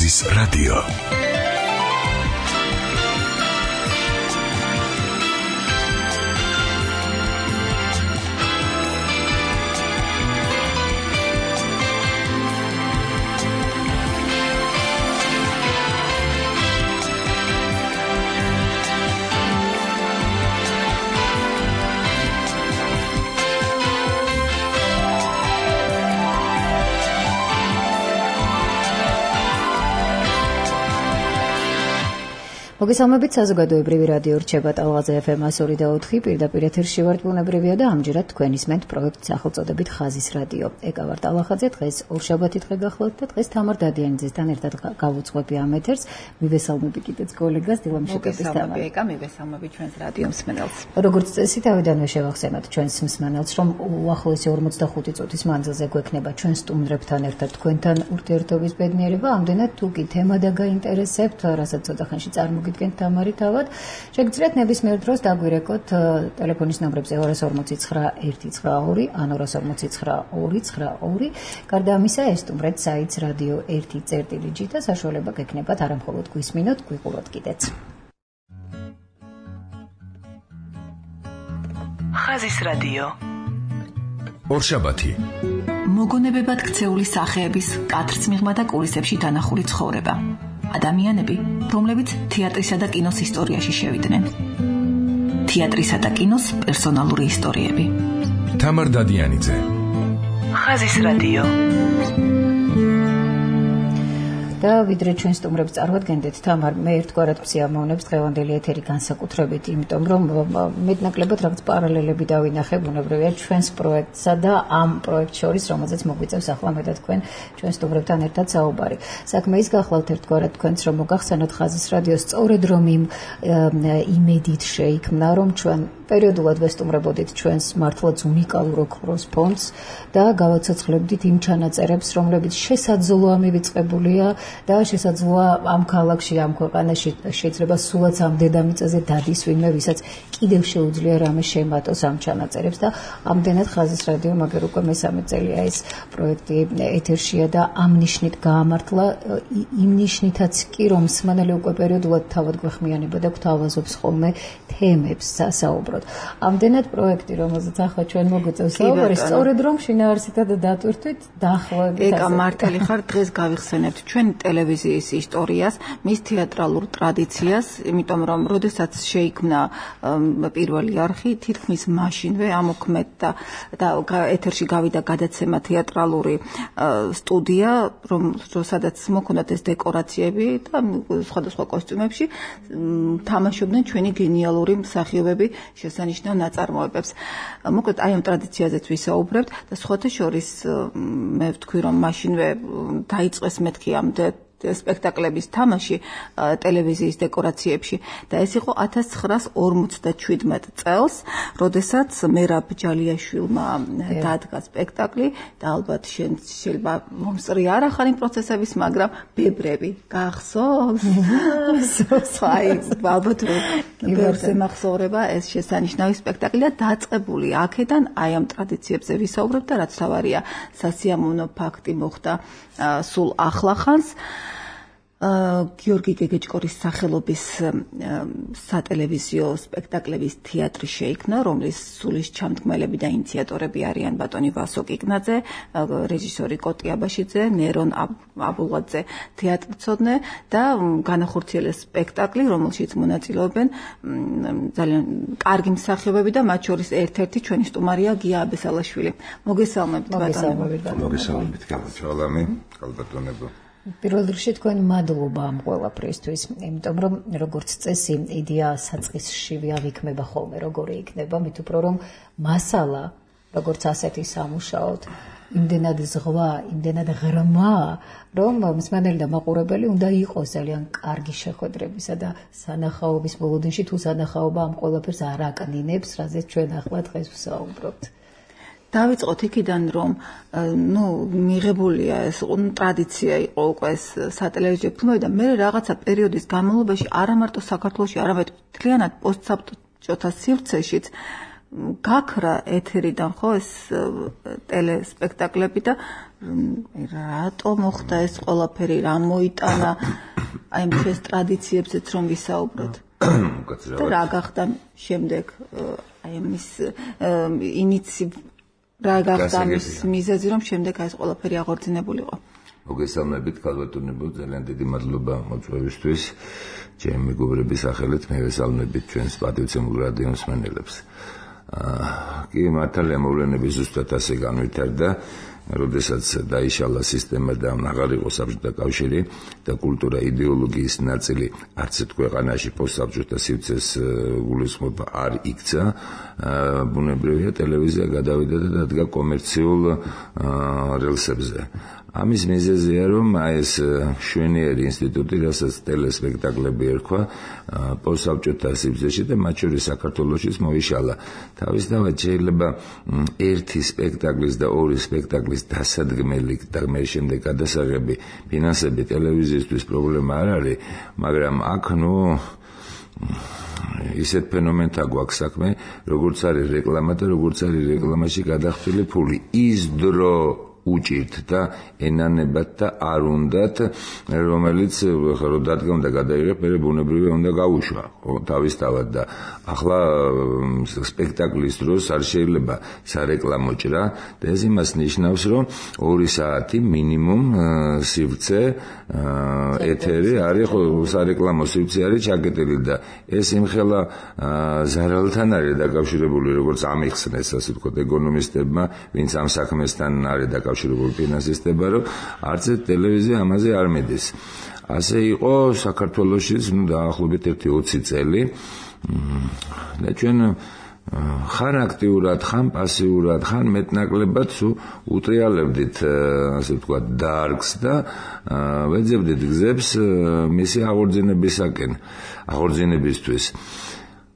ხაზის რადიო. მოგესალმებით, საზოგადოებრივი რადიო რჩება ტალღაზე FM 102.4 პირდაპირ ეთერში ვართ, ბუნებრივია და ამჯერად თქვენ ისმენთ პროექტს სახელწოდებით ხაზის რადიო. ეკა ვარ ტალღაზე, დღეს ორშაბათი დღე გახლავთ და დღეს თამარ დადიანიძესთან ერთად გავუძღვები ამ ეთერს. მივესალმები კიდეც კოლეგას დილამშეკების თამარ. ეკა მივესალმები ჩვენს რადიო მსმენელს. როგორც წესი, თავიდანვე შევახსენოთ ჩვენს მსმენელს, რომ უახლოესი 45 წუთის მანძილზე გვექნება ჩვენ სტუმრებთან ერთად თქვენთან ურთიერთობის ბედნიერება, ამდენად თუ კი თემა დაგაინტერესებთ, რასაც ცოტა ხანში წარმოგიდგენთ თამარი თავად, შეგიძლიათ ნებისმიერ დროს დაგვირეკოთ ტელეფონის ნომრებზე 249-192 ან 249-292. გარდა ამისა, ესტუმრეთ საიტს რადიო 1.წერტილი და საშუალება გექნებათ არა მხოლოდ გვისმინოთ, გვიყუროთ კიდეც. ხაზის რადიო. ორშაბათი. მოგონებებად ქცეული სახეების კათრცმიღმა და კულისებში დანახული ცხოვრება. ადამიანები, რომლებიც თეატრისა და კინოს ისტორიაში შევიდნენ. თეატრისა და კინოს პერსონალური ისტორიები. თამარ დადიანიძე. ხაზის რადიო. და ვიდრე ჩვენ სტუმრებს წარვადგენდეთ, თამარ, მე ერთგვარად ვსიამოვნებს დღევანდელი ეთერი განსაკუთრებით, იმიტომ რომ მეტნაკლებად რაღაც პარალელები დავინახე ბუნებრივია ჩვენს პროექტსა და ამ პროექტ შორის, რომელზეც მოგვიწევს ახლა მე და თქვენ ჩვენ სტუმრებთან ერთად საუბარი. საქმე ის გახლავთ ერთგვარად თქვენც, რომ მოგახსენოთ ხაზის რადიო სწორედ რომ იმ იმედით შეიქმნა, რომ ჩვენ პერიოდულად ვესტუმრებოდით ჩვენს მართლაც უნიკალურ ოქროს ფონდს და გავაცოცხლებდით იმ ჩანაწერებს, რომლებიც შესაძლოა მივიწყებულია და შესაძლოა ამ ქალაქში, ამ ქვეყანაში შეიძლება სულაც ამ დედამიწაზე დადის ვინმე, ვისაც კიდევ შეუძლია რამე შემატოს ამ ჩანაწერებს და ამდენად ხაზის რადიო მაგერ უკვე მესამე წელია ეს პროექტი ეთერშია და ამ ნიშნით გაამართლა, იმ ნიშნითაც კი, რომ მსმენელი უკვე პერიოდულად თავად გვეხმიანება და გვთავაზობს ხოლმე თემებს სასაუბროდ. ამდენად პროექტი, რომელზეც ახლა ჩვენ მოგვიწევს საუბარი, სწორედ რომ შინაარსითაც დატვირთვით დაახლოებით. ეკა მართალი ხარ, დღეს გავიხსენებთ ჩვენ ტელევიზიის ისტორიას, მის თეატრალურ ტრადიციას, იმიტომ რომ როდესაც შეიქმნა პირველი არხი, თითქმის მაშინვე ამოქმედდა და ეთერში გავიდა გადაცემა თეატრალური სტუდია, სადაც მოქონდათ ეს დეკორაციები და სხვადასხვა კოსტიუმებში თამაშობდნენ ჩვენი გენიალური მსახიობები შესანიშნავ ნაწარმოებებს. მოკლედ აი ამ ტრადიციაზეც ვისაუბრებთ და სხვათა შორის მე ვთქვი, რომ მაშინვე დაიწყეს მეთქი ამ სპექტაკლების თამაში ტელევიზიის დეკორაციებში და ეს იყო 1957 წელს, როდესაც მერაბ ჯალიაშვილმა დადგა სპექტაკლი და ალბათ შეიძლება მომსწრი არ ახალი პროცესების, მაგრამ ბებრები გახსოვს? აი, ალბათ ბევრს ემახსოვრება ეს შესანიშნავი სპექტაკლი და დაწყებული აქედან აი ამ ტრადიციებზე ვისაუბრებთ და რაც თავარია, სასიამოვნო ფაქტი მოხდა სულ ახლახანს. გიორგი გეგეჭკორის სახელობის სატელევიზიო სპექტაკლების თეატრი შეიქმნა, რომლის სულის ჩამდგმელები და ინიციატორები არიან ბატონი ვასო კიკნაძე, რეჟისორი კოტი აბაშიძე, ნერონ აბულღაძე თეატრმცოდნე და განახორციელეს სპექტაკლი, რომელშიც მონაწილეობენ ძალიან კარგი მსახიობები და მათ შორის ერთ-ერთი ჩვენი სტუმარია გია აბესალაშვილი. მოგესალმებით ბატონო. მოგესალმებით, გამარჯვებამი, კალბატონებო. პირველ რიგში თქვენ მადლობა ამ ყველაფრისთვის, იმიტომ რომ როგორც წესი იდეა საწყისში აღიქმება ხოლმე, როგორი იქნება, მით უფრო რომ მასალა, როგორც ასეთი სამუშაოდ, იმდენად ზღვა, იმდენად ღრმა, რომ მსმენელი და მაყურებელი უნდა იყოს ძალიან კარგი შეხვედრებისა და სანახაობის ბოლოდენში თუ სანახაობა ამ ყველაფერს არ აკნინებს, რაზეც ჩვენ ახლა დღეს ვსაუბრობთ. დავიწყოთ იქიდან, რომ მიღებულია ეს ტრადიცია იყო უკვე ეს სატელევიზიო ფილმები და მე რაღაცა პერიოდის განმავლობაში არა მარტო საქართველოში, არამედ მთლიანად პოსტსაბჭოთა სივრცეშიც გაქრა ეთერიდან ხო ეს ტელესპექტაკლები და რატო მოხდა ეს ყველაფერი, რა მოიტანა აი ეს ტრადიციებზეც რომ ვისაუბროთ. და რა გახდა შემდეგ აი ამის რა გახდა ამის მიზეზი რომ შემდეგ აი ეს ყველაფერი აღორძინებულიყო. მოგესალმებით ქალბატონებო, ძალიან დიდი მადლობა მოწვევისთვის. ჩემი მეგობრების სახელით მე ვესალმებით ჩვენს პატივცემულ რადიო მსმენელებს. კი მართალია მოვლენები ზუსტად ასე განვითარდა, როდესაც დაიშალა სისტემა და აღარ იყო საბჭოთა კავშირი და კულტურა იდეოლოგიის ნაწილი არც ერთ ქვეყანაში პოსტსაბჭოთა სივრცეს გულისხმობა არ იქცა, ბუნებრივია ტელევიზია გადავიდა და დადგა კომერციულ რელსებზე. ამის მიზეზია რომ ეს შვენიერი ინსტიტუტი, რასაც ტელესპექტაკლები ერქვა, პოსტსაბჭოთა სივრცეში და მათ შორის საქართველოშიც მოიშალა. თავისთავად შეიძლება ერთი სპექტაკლის და ორი სპექტაკლის დასადგმელი და მე შემდეგ გადასაღები ფინანსები ტელევიზიისთვის პრობლემა არ არის, მაგრამ აქ ისეთ ფენომენთა გვაქვს საქმე, როგორც არის რეკლამა და როგორც არის რეკლამაში გადახდილი ფული. ის დრო უჭირთ და ენანებათ და არ უნდათ, რომელიც რო დადგომ და გადაიღებ, მე ბუნებრივია უნდა გაუშვა თავისთავად და ახლა სპექტაკლის დროს არ შეიძლება სარეკლამო ჭრა და ეს იმას ნიშნავს, რომ 2 საათი მინიმუმ სივრცე ეთერი არის, ხო სარეკლამო სივრცე არის ჩაკეტილი და ეს იმხელა ზარალთან არის დაკავშირებული, როგორც ამიხსნეს, ასე ვთქვათ, ეკონომისტებმა, ვინც ამ საქმესთან არის დაკავშირებული ფინანსისტებმა, რომ არც ტელევიზია ამაზე არ მედის. ასე იყო საქართველოშიც, დაახლოებით 20 წელი და ჩვენ ხან აქტიურად, ხან პასიურად, ხან მეტნაკლებად უტრიალებდით, ასე ვთქვათ, დარგს და ვეძებდით გზებს მისი აღორძინებისთვის.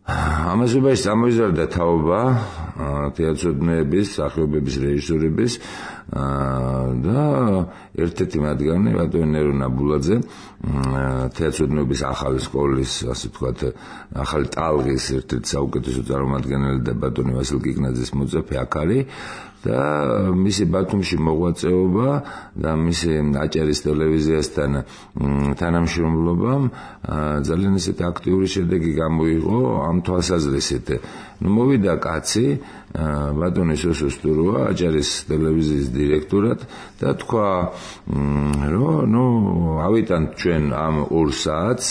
ამასობაში ამოიზარდა თაობა თეატროდნების, სახიობების, რეჟისორების და ერთ-ერთი მათგანი ბატონი ნერო ნაბულაძე, თეატროდნების ახალი სკოლის, ასე ვთქვათ, ახალი ტალღის ერთ-ერთი საუკეთესო წარმომადგენელი და ბატონი ვასილ კიკნაძის მოწაფე აქ არის და მისი ბათუმში მოღვაწეობა და მისი აჭარის ტელევიზიასთან თანამშრომლობამ ძალიან ისეთი აქტიური შედეგი გამოიღო ამ თვალსაზრისით. მოვიდა კაცი ბატონი სოსო სტუროა აჭარის ტელევიზიის დირექტორად და თქვა, რომ ავიტანთ ჩვენ ამ 2 საათს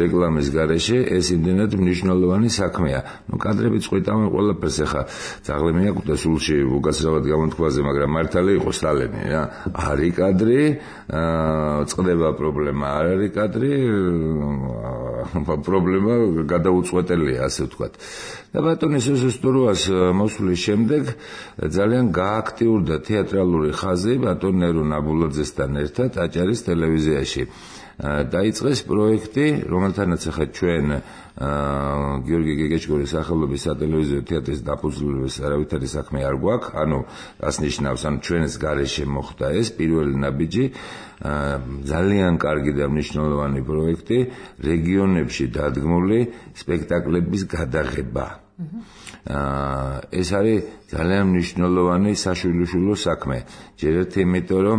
რეკლამის გარეშე, ეს იმდენად მნიშვნელოვანი საქმეა. კადრები წყვიტავენ ყველაფერს, ახლა ძაღლი მეაკვდა სულში უკაცრავად გამოთქვაზე, მაგრამ მართალი იყო სტალენი რა. არის კადრი, წყდება პრობლემა, არ არის კადრი, პრობლემა გადაუწყვეტელია, ასე ვთქვათ. და ბატონი სოსო სტუროას მოსვლის შემდეგ ძალიან გააქტიურდა თეატრალური ხაზი ბატონ ნერო ნაბულაძესთან ერთად აჭარის ტელევიზიაში. დაიწყეს პროექტი, რომელთანაც ახლა ჩვენ გიორგი გეგეჭკორის სახელობის სატელევიზიო თეატრის დაფუძნების არავითარი საქმე არ გვაქვს, რას ნიშნავს, ჩვენს გარეშე მოხდა ეს პირველი ნაბიჯი, ძალიან კარგი და მნიშვნელოვანი პროექტი, რეგიონებში დადგმული სპექტაკლების გადაღება. ეს არის ძალიან მნიშვნელოვანი საშვილიშვილო საქმე. ჯერ ერთი იმიტომ, რომ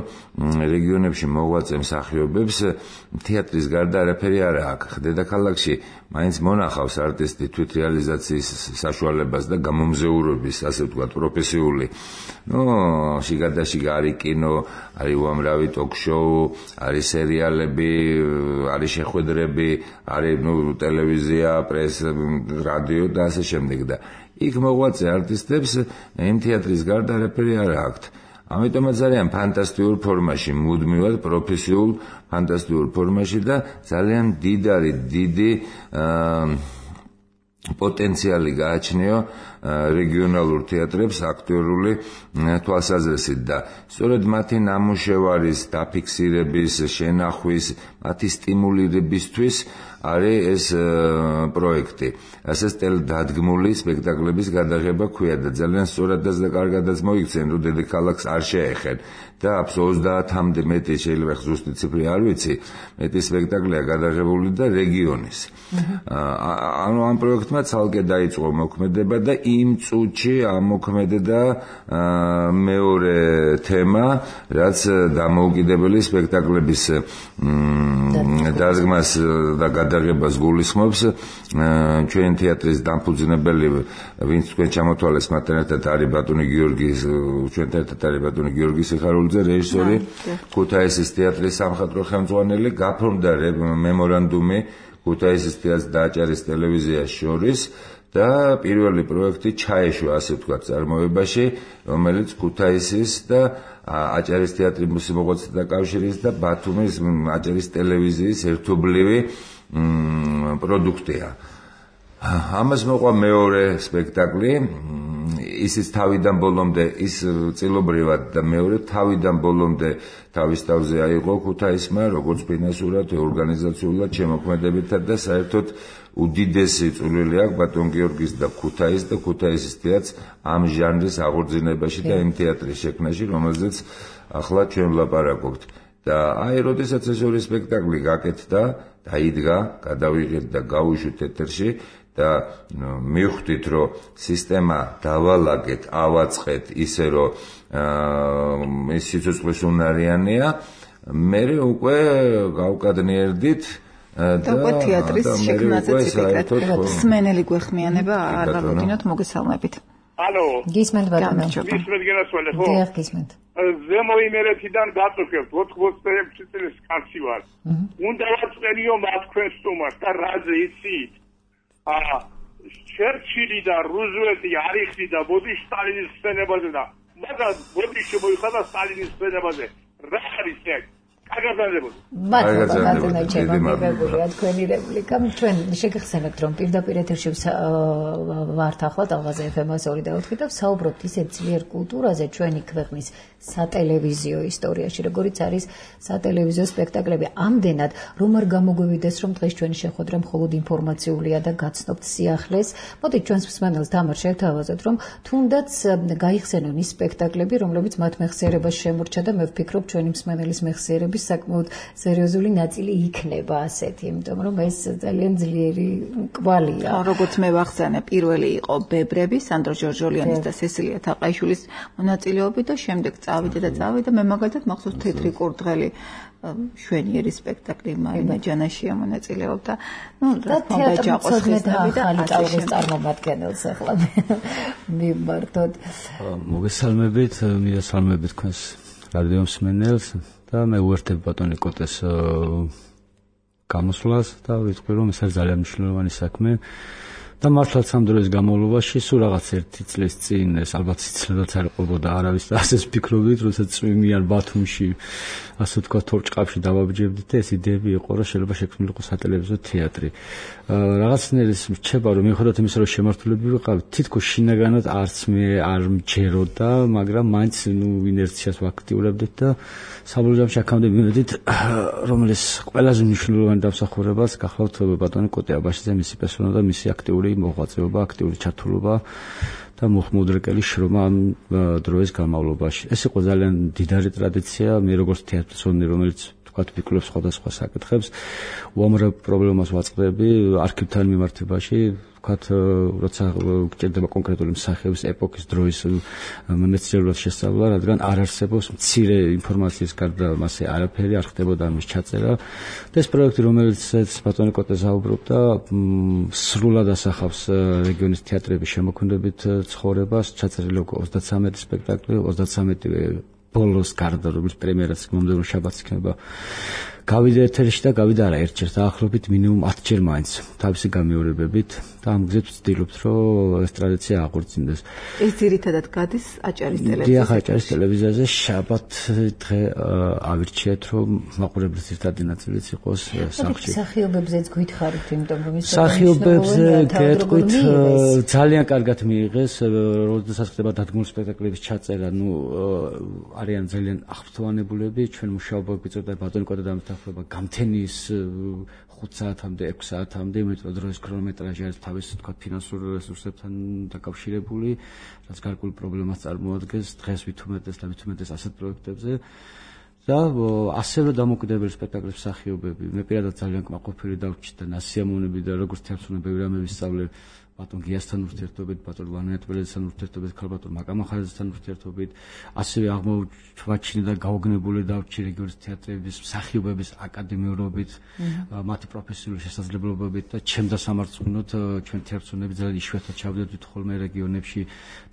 რეგიონებში მოღვაწე მსახიობებს თეატრის გარდა არაფერი არ აქვს. დედაქალაქში მაინც მონახავს არტისტი თვითრეალიზაციის საშუალებას და გამომზეურობის, ასე ვთქვათ, პროფესიული. შიგადაშიგა არის კინო, არის უამრავი ტოკ-შოუ, არის სერიალები, არის შეხვედრები, არის ტელევიზია, პრესა, რადიო და ასე შემდეგ და იქ მოღვაწე არტისტებს იმ თეატრის გარდა არაფერი არ აქვთ. ამიტომაც არიან ფანტასტიკურ ფორმაში, მუდმივად პროფესიულ ფანტასტიკურ ფორმაში და ძალიან დიდი პოტენციალი გააჩნია რეგიონალურ თეატრებს აქტუალური თვალსაზრისით და სწორედ მათი ნამუშევარის დაფიქსირების, შენახვის, მათი სტიმულირებისთვის არის ეს პროექტი. ასე დადგმული სპექტაკლების გადაღება ქვია და ძალიან სწორადაც და კარგადაც მოიქცენ, რომ დედაქალაქს არ შეეხენ. და 30-მდე მეტი შეიძლება ზუსტი ციფრი არ ვიცი, მეტი სპექტაკლია გადაღებული და რეგიონის. ანუ ამ პროექტმა ცალკე დაიწყო მოქმედება და იმ წუთში ამოქმედება მეორე თემა, რაც დამოუკიდებელი სპექტაკლების დადგმას და გადაღებას გულისხმობს. ჩვენ თეატრის დამფუძნებელი, ვინც თქვენ ჩამოთვალეს, მათთან ერთად არის ბატონი გიორგის, ჩვენთან ერთად არის ბატონი გიორგი სიხარულიძე, რეჟისორი, ქუთაისის თეატრის სამხატვრო ხელმძღვანელი, გაფორმდა მემორანდუმი ქუთაისის თეატრს და აჭარის ტელევიზიას შორის და პირველი პროექტი ჩაეშვა, ასე ვთქვათ, წარმოებაში, რომელიც ქუთაისის და აჭარის თეატრის მოსამოღვაწეთა კავშირის და ბათუმის აჭარის ტელევიზიის ერთობლივი პროდუქტია. ამას მოყვა მეორე სპექტაკლი, ისიც თავიდან ბოლომდე, ის წილობრივად და მეორე თავიდან ბოლომდე თავის თავზე აიღო ქუთაისმა, როგორც ფინანსურად, ორგანიზაციულად, შემოქმედებითად და საერთოდ უდიდესი წვლილი აქვს ბატონ გიორგის და ქუთაისის თეატრს ამ ჟანრის აღორძინებაში და იმ თეატრის შექმნაში, რომელზეც ახლა ჩვენ ვლაპარაკობთ. და აი, როდესაც ეს ორი სპექტაკლი გაკეთდა, დაიდგა, გადავიღეთ და გავუშვით ეთერში და მივხვდით, რომ სისტემა დავალაგეთ, ავაწყეთ ისე, რომ ეს სიცოცხლის უნარიანია, მე უკვე გავკადნიერდით და უკვე თეატრის შექმნაზე ციფრად სმენელი გვეხმიანება არ გავუდინოთ, მოგესალმებით. ალო, გისმენთ ბატონო. გისმენთ გენასველი, ხო? დიახ, გისმენთ. ზემო იმერეთიდან გაწუხებთ 86 წლის კაცი ვარ. უნდა ვაწყენიო მათ თქვენ სტუმარს და რაზე იცით? ჩერჩილი და რუზველტი არ იხდიდა ბოდი სტალინის ხსენებაზე და მაგრამ ბოდი შემოიხადა სტალინის ხსენებაზე. რა არის ეგ? მადლობა ჩემო მეგობრებია თქვენი რეპლიკა. ჩვენ შეგეხსენებთ, რომ პირდაპირ ეთერში ვართ ახლა ტალღაზე FM-2 და 4 და ვსაუბრობთ ისეთ ძლიერ კულტურაზე ჩვენი ქვეყნის სატელევიზიო ისტორიაში, როგორიც არის სატელევიზიო სპექტაკლები. ამდენად რომ არ გამოგვივიდეს, რომ დღეს ჩვენი შეხვედრა მხოლოდ ინფორმაციულია და გაცნობთ სიახლეს. მოდით ჩვენს მსმენელს თამარ შევთავაზოთ, რომ თუნდაც გაიხსენონ ის სპექტაკლები, რომლებიც მათ მეხსიერებას შემორჩა და მე ვფიქრობ, ჩვენი მსმენელის მეხსიერების საკმაოდ სერიოზული ნაწილი იქნება ასეთი, იმიტომ რომ ეს ძალიან ძლიერი კვალია. როგორც მე ვახსენე, პირველი იყო ბებრები, სანდრო ჯორჯოლიანის და სესილია თაყაიშვილის მონაწილეობით და შემდეგ წავიდა მე მაგალითად მახსოვს თეთრი კურდღელი შვენიერი სპექტაკლი მარინა ჯანაშია მონაწილეობდა. და თეატრს ხმედავი და ალიტაურის წარმომადგენელს ახლა მიმართოთ. მოგესალმებით, მიდასალმებით თქვენს რადიო მსმენელს და მე უერთებ ბატონი კოტეს გამოსვლას და ვიტყვი, რომ ეს არის ძალიან მნიშვნელოვანი საქმე. და მართლაც ამ დროის განმავლობაში სულ რაღაც ერთი წლის წინ ეს ალბათ სიცილედაც არ ყოფოდა არავის და ასე ვფიქრობდით, როდესაც წვიმიან ბათუმში, ასე ვთქვათ, თორჭყაფში დავაბჯებდით და ეს იდეები იყო, რომ შეიძლება შექმნილიყო სატელევიზიო თეატრი. რაღაცნაირად რჩება, რომ მიუხედავად იმისა, რომ შემართულები ვიყავით, თითქოს შინაგანად არც მე არ მჯეროდა, მაგრამ მაინც ინერციას ვაქტიურებდით და საბოლოო ჯამში აქამდე მივედით, რომელიც ყველაზე მნიშვნელოვანი დამსახურებას გახლავთ ბატონი კოტე აბაშიძე, მისი პერსონა და მისი აქტიური მოღვაწეობა, აქტიური ჩართულობა და მუხმუდრეკელი შრომა ამ დროის განმავლობაში. ეს იყო ძალიან დიდარი ტრადიცია, მე როგორც თეატრსონი, რომელიც თქვათ ვიკვლევ სხვადასხვა საკითხებს, უამრავ პრობლემას ვაწყდები არქივთან მიმართებაში, თქვათ, როცა გჭირდება კონკრეტული მსახიობის ეპოქის დროის მეცნიერულად შესწავლა, რადგან არ არსებობს მცირე ინფორმაციის გარდა მასე არაფერი, არ ხდებოდა ამის ჩაწერა. და ეს პროექტი, რომელიც ბატონი კოტე საუბრობდა, სრულად ასახავს რეგიონის თეატრების შემოქმედებით ცხოვრებას, ჩაწერილი 33 სპექტაკლი, 33 ბოლოს გარდა, რომელიც პრემიერაც მომდევნო შაბათს იქნება. გავიდა ეთერში და გავიდა არა ერთჯერ, დაახლოებით მინიმუმ 10 ჯერ მაინც თავისი გამეორებებით და ამ გზით ვცდილობთ, რომ ეს ტრადიცია აღორძინდეს. ეს ძირითადად გადის აჭარის ტელევიზიაზე. დიახ, აჭარის ტელევიზიაზე შაბათ დღე ავირჩიეთ, რომ მაყურებლის ერთადი ნაწილიც იყოს სახლში. მსახიობებზეც გითხარით, იმიტომ რომ ის მსახიობებზე გეტყვით, ძალიან კარგად მიიღეს, როდესაც ხდება დადგმული სპექტაკლების ჩაწერა, არიან ძალიან აღფრთოვანებულები, ჩვენ მუშაობა გვიწევდა ბატონი კოტე დამთახურება გამთენის 5 საათამდე, 6 საათამდე, იმიტომ რომ ეს ქრონომეტრაჟი არის თავის თქვა ფინანსურ რესურსებთან დაკავშირებული, რაც გარკვეულ პრობლემას წარმოადგენს დღეს ვითუმეტეს და ვითუმეტეს ასეთ პროექტებზე. და ასევე დამოუკიდებელი სპექტაკლის მსახიობები. მე პირადად ძალიან კმაყოფილი დავჭირდა ნასიამოვნები და როგორც თერთუნე ბევრი რამე ვისწავლე ბატონ გიასთან ურთიერთობით, ბატონ ვანეტველესთან ურთიერთობით, ქალბატონ მაკამახარაძესთან ურთიერთობით, ასევე აღმოჩვაჩინე და გაუგნებული დავჭირე რეგიონის თეატრების მსახიობების აკადემიურობით, მათი პროფესიული შესაძლებლობებით და ჩემ დასამარცხნოდ ჩვენ თერთუნები ძალიან იშვიათად ჩავდედით ხოლმე რეგიონებში,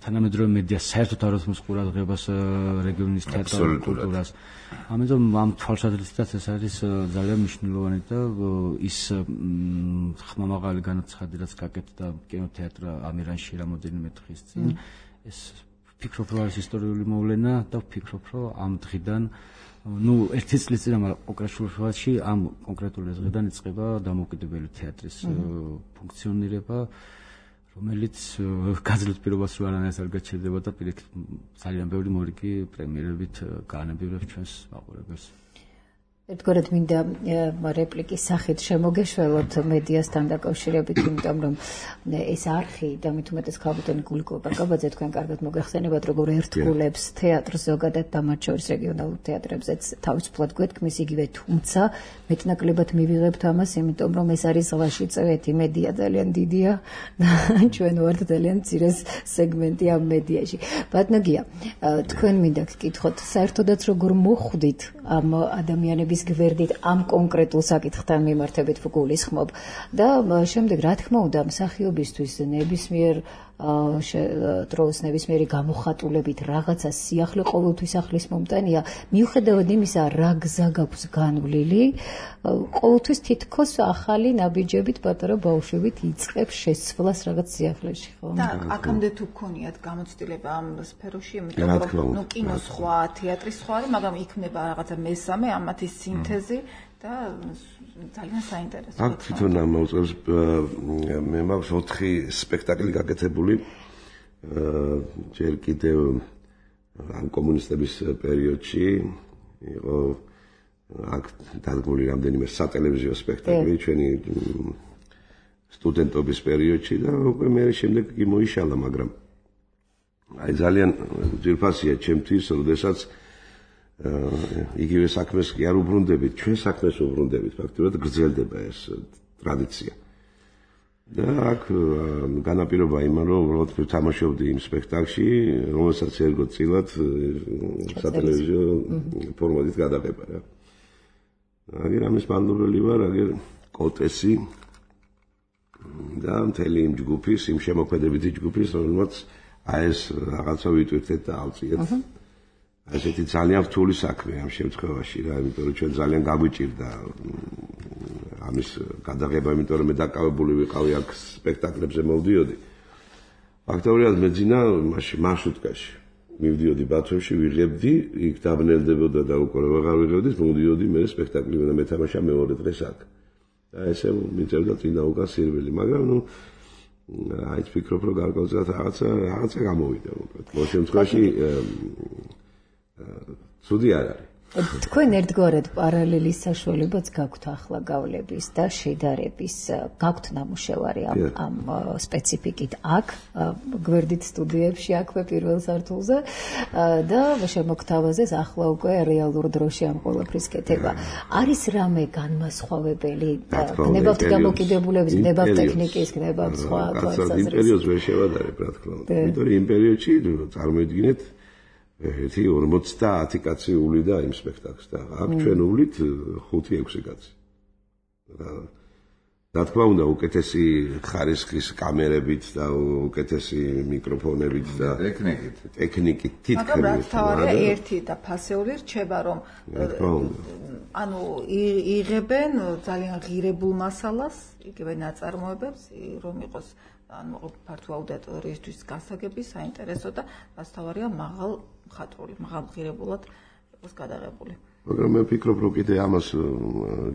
თანამედროვე მედია საერთოდ არ უსმენს ყურადღებას რეგიონის თეატრალურ კულტურას. ამიტომ ამ თვალსაზრისითაც ეს არის ძალიან მნიშვნელოვანი და ის ხმამაღალი განაცხადი რაც გაკეთდა კინოთეატრ ამირანში რამოდენიმე დღის წინ ეს ვფიქრობ რომ არის ისტორიული მოვლენა და ვფიქრობ რომ ამ დღიდან ერთი წლის წინ მაგრამ კონკრეტულში ამ კონკრეტული დღიდან იწყება დამოუკიდებელი თეატრის ფუნქციონირება რომელიც გაძლევ პირობას რო არანაირად არ გაჩერდება და პირიქით ძალიან ბევრი მორიგი პრემიერებით გაანებიერებს ჩვენს მაყურებელს. ერთგვარად მინდა რეპლიკის სახით შემოგეშველოთ მედიასთან დაკავშირებით, იმიტომ რომ ეს არხი და მით უმეტეს ქალბატონი გულიკო ბაკაბაძე თქვენ კარგად მოგეხსენებათ, როგორ ერთგულებს თეატრს ზოგადად და მათ შორის რეგიონალურ თეატრებზეც თავისუფლად გვეთქმის იგივე, თუმცა მეტნაკლებად მივიღებთ ამას, იმიტომ რომ ეს არის ზღვაში წვეთი, მედია ძალიან დიდია და ჩვენ ვართ ძალიან მცირე სეგმენტი ამ მედიაში. ბატონო გია, თქვენ მინდა გკითხოთ, საერთოდაც როგორ მოხვდით ამ ადამიანების გვერდით ამ კონკრეტულ საკითხთან მიმართებით გულისხმობ და შემდეგ რა თქმა უნდა მსახიობისთვის ნებისმიერ დროს ნებისმიერი გამოხატულებით რაღაცა სიახლე ყოველთვის ახლის მომტანია მიუხედავად იმისა რა გზა გაქვს განვლილი ყოველთვის თითქოს ახალი ნაბიჯებით პატარა ბავშვებით იწყებს შესწვლას რაღაც სიახლეში ხო და აქამდე თუ გქონიათ გამოცდილება ამ სფეროში იმიტომ რომ კინო სხვა თეატრი სხვა არის მაგრამ იქნება რაღაცა მესამე ამათის სინთეზი და ძალიან საინტერესოა. აქ თვითონ მოუწევს მე მაქვს 4 სპექტაკლი გაკეთებული ჯერ კიდევ ამ კომუნისტების პერიოდში იყო აქ დადგმული რამდენიმე სატელევიზიო სპექტაკლი ჩვენი სტუდენტობის პერიოდში და უკვე მე შემდეგ კი მოიშალა, მაგრამ აი ძალიან ძირფასია ჩემთვის, როდესაც იგივე საქმეს კი არ უბრუნდებით, ჩვენ საქმეს უბრუნდებით, ფაქტობრივად გრძელდება ეს ტრადიცია. და აქ განაპირობა იმან, რომ უბრალოდ ვთამაშობდი იმ სპექტაკლში, რომელსაც ერგო წილად სატელევიზიო ფორმატით გადაღება რა. აგერ ამის მანდობელი ვარ, აგერ კოტესი და მთელი იმ ჯგუფის, იმ შემოქმედებითი ჯგუფის, რომელმაც აი ეს რაღაცა ვიტვირთეთ და ავწიეთ. ასეთი ძალიან რთული საქმეა ამ შემთხვევაში რა, იმიტომ რომ ჩვენ ძალიან გაგვიჭირდა ამის გადაღება, იმიტომ რომ მე დაკავებული ვიყავი აქ სპექტაკლებზე მოვდიოდი. ფაქტობრივად მეძინა მაშინ მარშრუტკაში. მივდიოდი ბათუმში, ვიღებდი, იქ დაბნელდებოდა და უკვე ვეღარ ვიღებდი, მოვდიოდი მე სპექტაკლი და მეთამაშა მეორე დღეს აქ. და ესე მიწერდა წინა უკან სირველი, მაგრამ ნუ აი ვფიქრობ რომ გარკვეულწილად რაღაცა გამოვიდა უბრალოდ. ამ შემთხვევაში ცუდი არ არის. თქვენ ერთგვარად პარალელის საშუალებაც გაქვთ ახლა გავლების და შედარების, გაქვთ ნამუშევარი ამ სპეციფიკით აქ, გვერდით სტუდიებში, აქვე პირველ სართულზე და შემოგთავაზეს ახლა უკვე რეალურ დროში ამ ყველაფრის კეთება. არის რამე განმასხვავებელი? გნებავთ დამოკიდებულების, გნებავთ ტექნიკის, გნებავთ სხვა თვალსაზრისით. იმ პერიოდს ვერ შევადარებ, რა თქმა უნდა. იმიტომ რომ იმ პერიოდში წარმოიდგინეთ ერთი 50 კაცი ულიდა იმ სპექტაკლს და აქ ჩვენ ულით 5-6 კაცი. რა თქმა უნდა, უკეთესი ხარისხის კამერებით და უკეთესი მიკროფონებით და ტექნიკით თითქმის. მაგრამ თავარია ერთი და ფასეული რჩება, რომ ანუ იღებენ ძალიან ღირებულ მასალას, იგივე ნაწარმოებებს, რომ იყოს ანუ ფართო აუდიტორიისთვის გასაგები, საინტერესო და რასთავარია მაღალ მხატვრული, მაღალ ღირებულად იყოს გადაღებული. მაგრამ მე ვფიქრობ, რომ კიდე ამას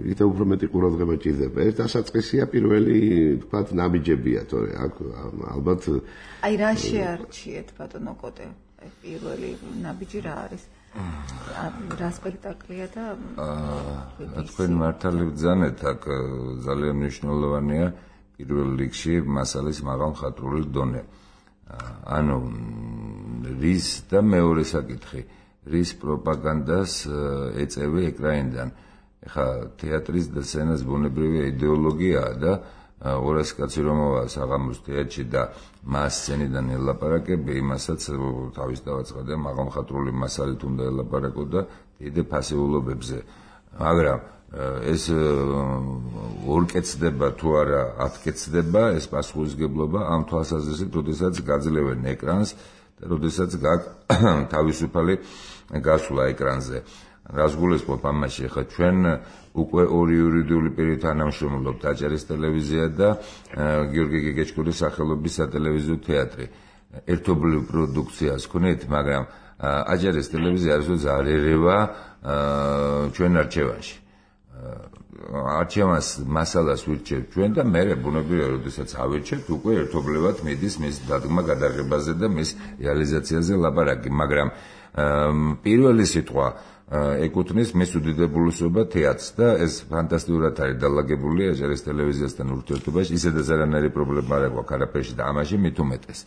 კიდევ უფრო მეტი ყურადღება ჭირდება. ერთ დასაწყისია პირველი, თქვათ, ნაბიჯებია, თორე აქ ალბათ აი რა შეარჩიეთ ბატონო კოტე? აი პირველი ნაბიჯი რა არის? რა სპექტაკლია და თქვენ მართალი ბრძანეთ, აქ ძალიან მნიშვნელოვანია პირველ რიგში მასალის მაღალ მხატვრული დონე. ანუ რის და მეორე საკითხი, რის პროპაგანდას ეწევი ეკრანიდან. ეხა თეატრის და სცენას ბუნებრივი იდეოლოგიაა და 200 კაცი რომ მოვა საღამოს თეატრში და მას სცენიდან ელაპარაკები, იმასაც თავის დავაცხადე მაღალ მხატვრული მასალით უნდა ელაპარაკო და დიდ ფასეულობებზე. მაგრამ ეს ორ კეთდება თუ არა 10 კეთდება, ეს პასუხისგებლობა ამ თვალსაზრისით, როდესაც გაძლევენ ეკრანს და როდესაც გაქვს თავისუფალი გასვლა ეკრანზე. რას გულისხმობ ამაში, ხა ჩვენ უკვე ორი იურიდიული პირით თანამშრომლობთ, აჭარის ტელევიზია და გიორგი გეგეჭკურის სახელობის სატელევიზიო თეატრი. ერთობლივ პროდუქციას ქონეთ, მაგრამ აჭარის ტელევიზია არასოდეს არ ერევა ჩვენ არჩევანში. არჩევანს მასალას ვირჩევთ ჩვენ და მე ბუნებრივია, როდესაც ავირჩევთ, უკვე ერთობლივად მიდის მის დადგმა გადაღებაზე და მის რეალიზაციაზე ლაპარაკი, მაგრამ პირველი სიტყვა ეკუთვნის მის უდიდებულესობა თეატრს და ეს ფანტასტიკურად არის დალაგებული აჭარის ტელევიზიასთან ურთიერთობაში, ისედაც არანაირი პრობლემა არ აქვს არაფერში და ამაში მით უმეტეს.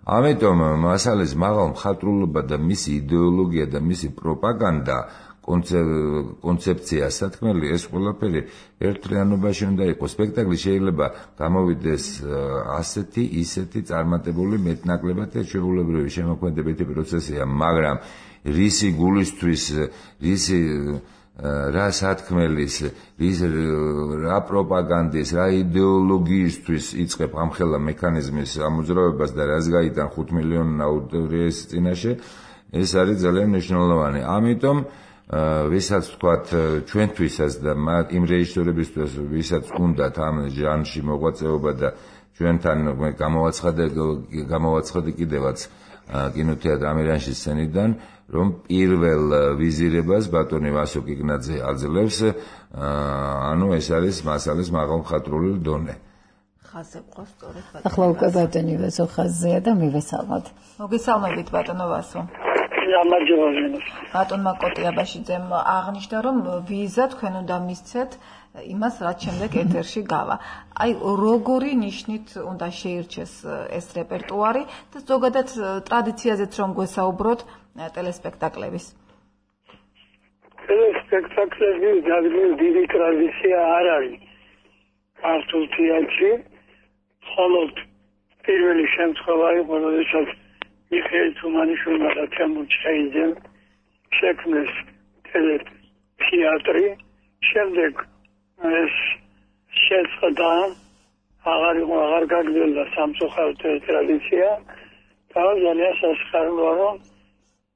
ამიტომ მასალის მაღალ მხატვრულობა და მისი იდეოლოგია და მისი პროპაგანდა კონცეფცია, სათქმელი, ეს ყველაფერი ერთთლიანობაში უნდა იყოს. სპექტაკლი შეიძლება გამოვიდეს ასეთი, ისეთი წარმატებული მეტნაკლებად შეუულებრივი შემოქმედებითი პროცესია, მაგრამ რისი გულისთვის, რისი რა სათქმელის, რა პროპაგანდის, რა იდეოლოგიისთვის იწყებ ამხელა მექანიზმის ამოძრავებას და რას გაიტან 5 მილიონი აუდიტორიის წინაშე, ეს არის ძალიან მნიშვნელოვანი. ამიტომ ვისაც თქვათ ჩვენთვისაც და იმ რეჟისორებისთვის, ვისაც უნდათ ამ ჟანრში მოღვაწეობა და ჩვენთან გამოვაცხადე კიდევაც კინოთეატრ ამირანში სცენიდან, რომ პირველ ვიზირებას ბატონი ვასო კიგნაძე აძლევს, ანუ ეს არის მასალის მაღალ მხატვრული დონე. ხაზზე ყავს სწორედ ბატონი. ახლა უკვე ბატონი ვასო ხაზზეა და მივესალმოთ. მოგესალმებით ბატონო ვასო. ბატონმა კოტიაბაშიძემ აღნიშნა, რომ ვიზა თქვენ უნდა მისცეთ იმას, რაც შემდეგ ეთერში გავა. აი, როგორი ნიშნით უნდა შეირჩეს ეს რეპერტუარი და ზოგადად ტრადიციაზეც რომ გვესაუბროთ ტელესპექტაკლების. ტელესპექტაკლების ძალიან დიდი ტრადიცია არ არის ქართულ თეატრში, მხოლოდ პირველი შემთხვევა იყო, როდესაც მიხეილ თუმანიშვილმა და თემურ ჩხეიძემ შექმნეს თეატრი, შემდეგ ეს შეწყდა, აღარ გაგრძელდა სამწუხაროდ ტრადიცია და ძალიან სასიხარულოა, რომ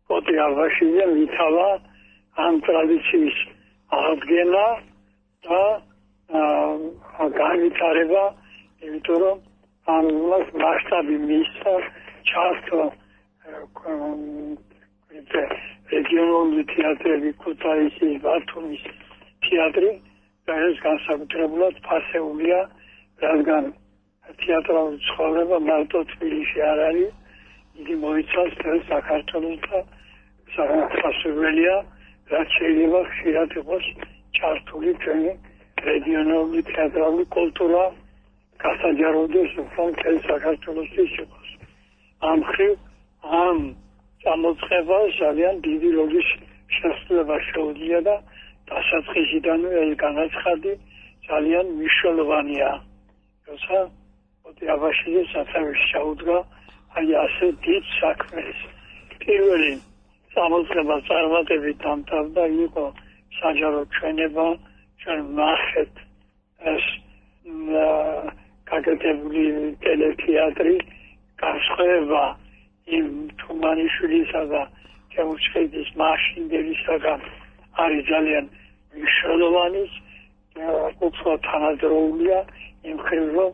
კოტიაბაშიძემ ითავა ამ ტრადიციის აღდგენა და განვითარება, იმიტომ რომ ამას მასშტაბი მისცა ჩართო რეგიონული თეატრები, ქუთაისის, ბათუმის თეატრი და ეს განსაკუთრებულად ფასეულია, რადგან თეატრალური ცხოვრება მარტო თბილისში არ არის, იგი მოიცავს მთელ საქართველოს და სასურველია, რაც შეიძლება ხშირად იყოს ჩართული ჩვენი რეგიონული თეატრალური კულტურა გასაჯაროდეს უფრო მთელ საქართველოსთვის იყოს. ამ მხრივ ამ წამოწყებას ძალიან დიდი როლის შესრულება შეუძლია და დასაწყისიდანვე ეს განაცხადი ძალიან მნიშვნელოვანია. როცა კოტიაბაშიძე სათავეში ჩაუდგა აი ასე დიდ საქმეს. პირველი წამოწყება წარმატებით დამთავრდა, იყო საჯარო ჩვენება, ჩვენ ნახეთ ეს გაკეთებული ტელეთეატრი, განსხვავება იმ თუმანიშვილისა და თემურ ჩხეიძის მაშინდელისაგან არის ძალიან მნიშვნელოვანი, უფრო თანადროულია იმ მხრივ, რომ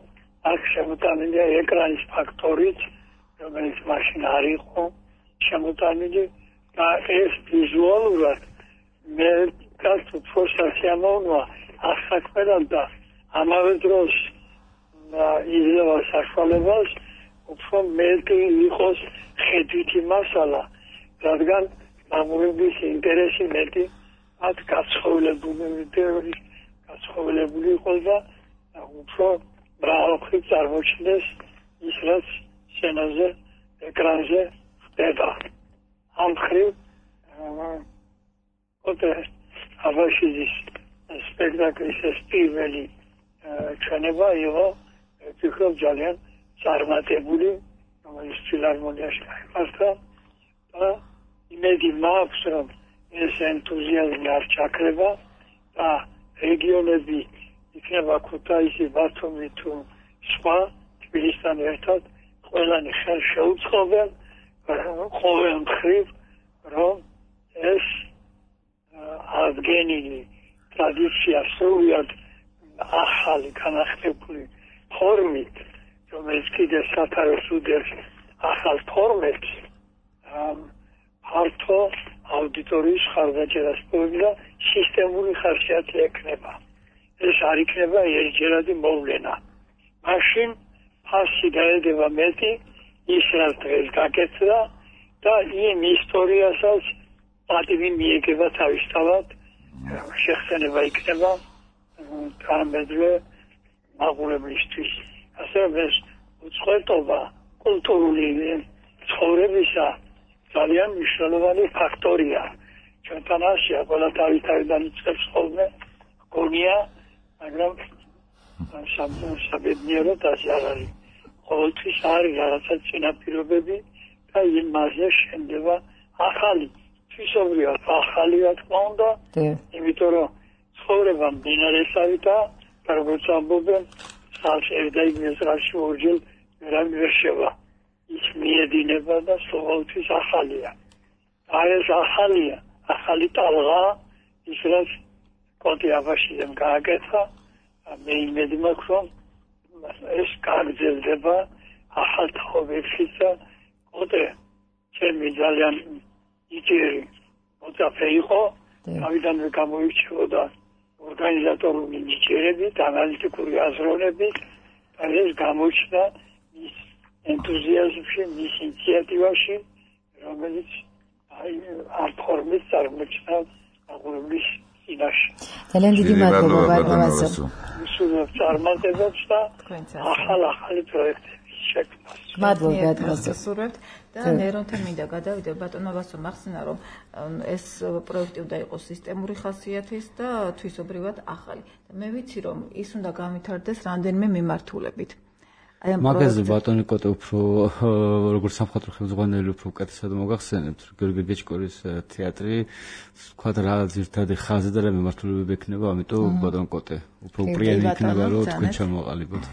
აქ შემოტანილია ეკრანის ფაქტორიც, რომელიც მაშინ არ იყო შემოტანილი და ეს ვიზუალურად მე უფრო სასიამოვნოა ასაკმელად და ამავე დროს იძლევა საშუალებას უფრო მეტი იყოს ხედვითი მასალა, რადგან მამულების ინტერესი მეტი მათ გაცხოველებული იყო და უფრო მრავალმხრივ წარმოჩნდეს ის რაც სცენაზე ეკრანზე ხდება ამ მხრივ აბაშიძის სპექტაკლის ეს პირველი ჩვენება იყო ვფიქრობ ძალიან წარმატებული რომელიც ფილარმონიაში გამართა და იმედი მაქვს რომ ეს ენთუზიაზმი არ ჩაქრება და რეგიონები იქნება ქუთაისი ბათუმი თუ სხვა თბილისთან ერთად ყველანი ხელ შეუწყობენ ყოველ მხრივ რომ ეს აღდგენილი ტრადიცია სრულად ახალი განახტებული ფორმით რომელიც კიდევ სათაურს უდევს ახალ ფორმებს ფართო აუდიტორიის ხარდაჭერას და სისტემური ხარჯათი ექნება ეს არ იქნება ერთჯერადი მოვლენა მაშინ ფასი გაედება მეტი ის რაც დღეს გაკეთდა და იმ ისტორიასაც პატივი მიეგება თავისთავად შეხსენება იქნება გამედრე მაღლублისთვის ასე ეს უცხოეთობა კულტურული ცხოვრებისა ძალიან მნიშვნელოვანი ფაქტორია ჩვენთან ასია ყველა თავიდან იწყებს ხოლმე გონია მაგრამ საბედნიეროდ ასე არ არის ყოველთვის არის რაღაცა წინაპირობები და იმაზე შენდება ახალი თვისობრივად ახალი რა თქმა უნდა იმიტომ რომ ცხოვრება მდინარესავითა და როგორც ამბობენ ერდაიგნეს რაში ორჯერ ვერ შევა ის მიედინება და ყოველთვის ახალია აი ეს ახალია ახალი ტალღა ის რაც კოტი აბაშიძემ გააკეთა მე იმედი მაქვს რომ ეს გაგრძელდება ახალ თაობებშიც და კოტე ჩემი ძალიან იჭერი მოწაფე იყო თავიდანვე გამოირჩეოდა ორგანიზატორული ნიჭიერებით, ანალიტიკური აზროვნებით და ეს გამოჩნდა მის ენთუზიაზმში, მის ინიციატივაში, რომელიც ამ ფორმით წარმოჩნდა აღურების წინაშე. ძალიან დიდი მადლობა ბატონო. ვისურვებ წარმატებებს და ახალი პროექტების შექმნას. მადლობა გასასურვებთ და ნერონთან მინდა გადავიდე ბატონო ვასო მახსნა რომ ეს პროექტი უნდა იყოს სისტემური ხასიათის და თვისობრივად ახალი და მე ვიცი რომ ის უნდა განვითარდეს რამდენიმე მიმართულებით მაგაზე ბატონი კოტე უფრო როგორც სამხატვრო ხელმძღვანელი უფრო უკეთესად მოგახსენებთ გიორგი გეჭკორის თეატრი თქვა რა ძირთადი ხაზი და რა მიმართულებები ექნება ამიტომ ბატონ კოტე უფრო პრიანი იქნება რომ თქვენ ჩამოყალიბოთ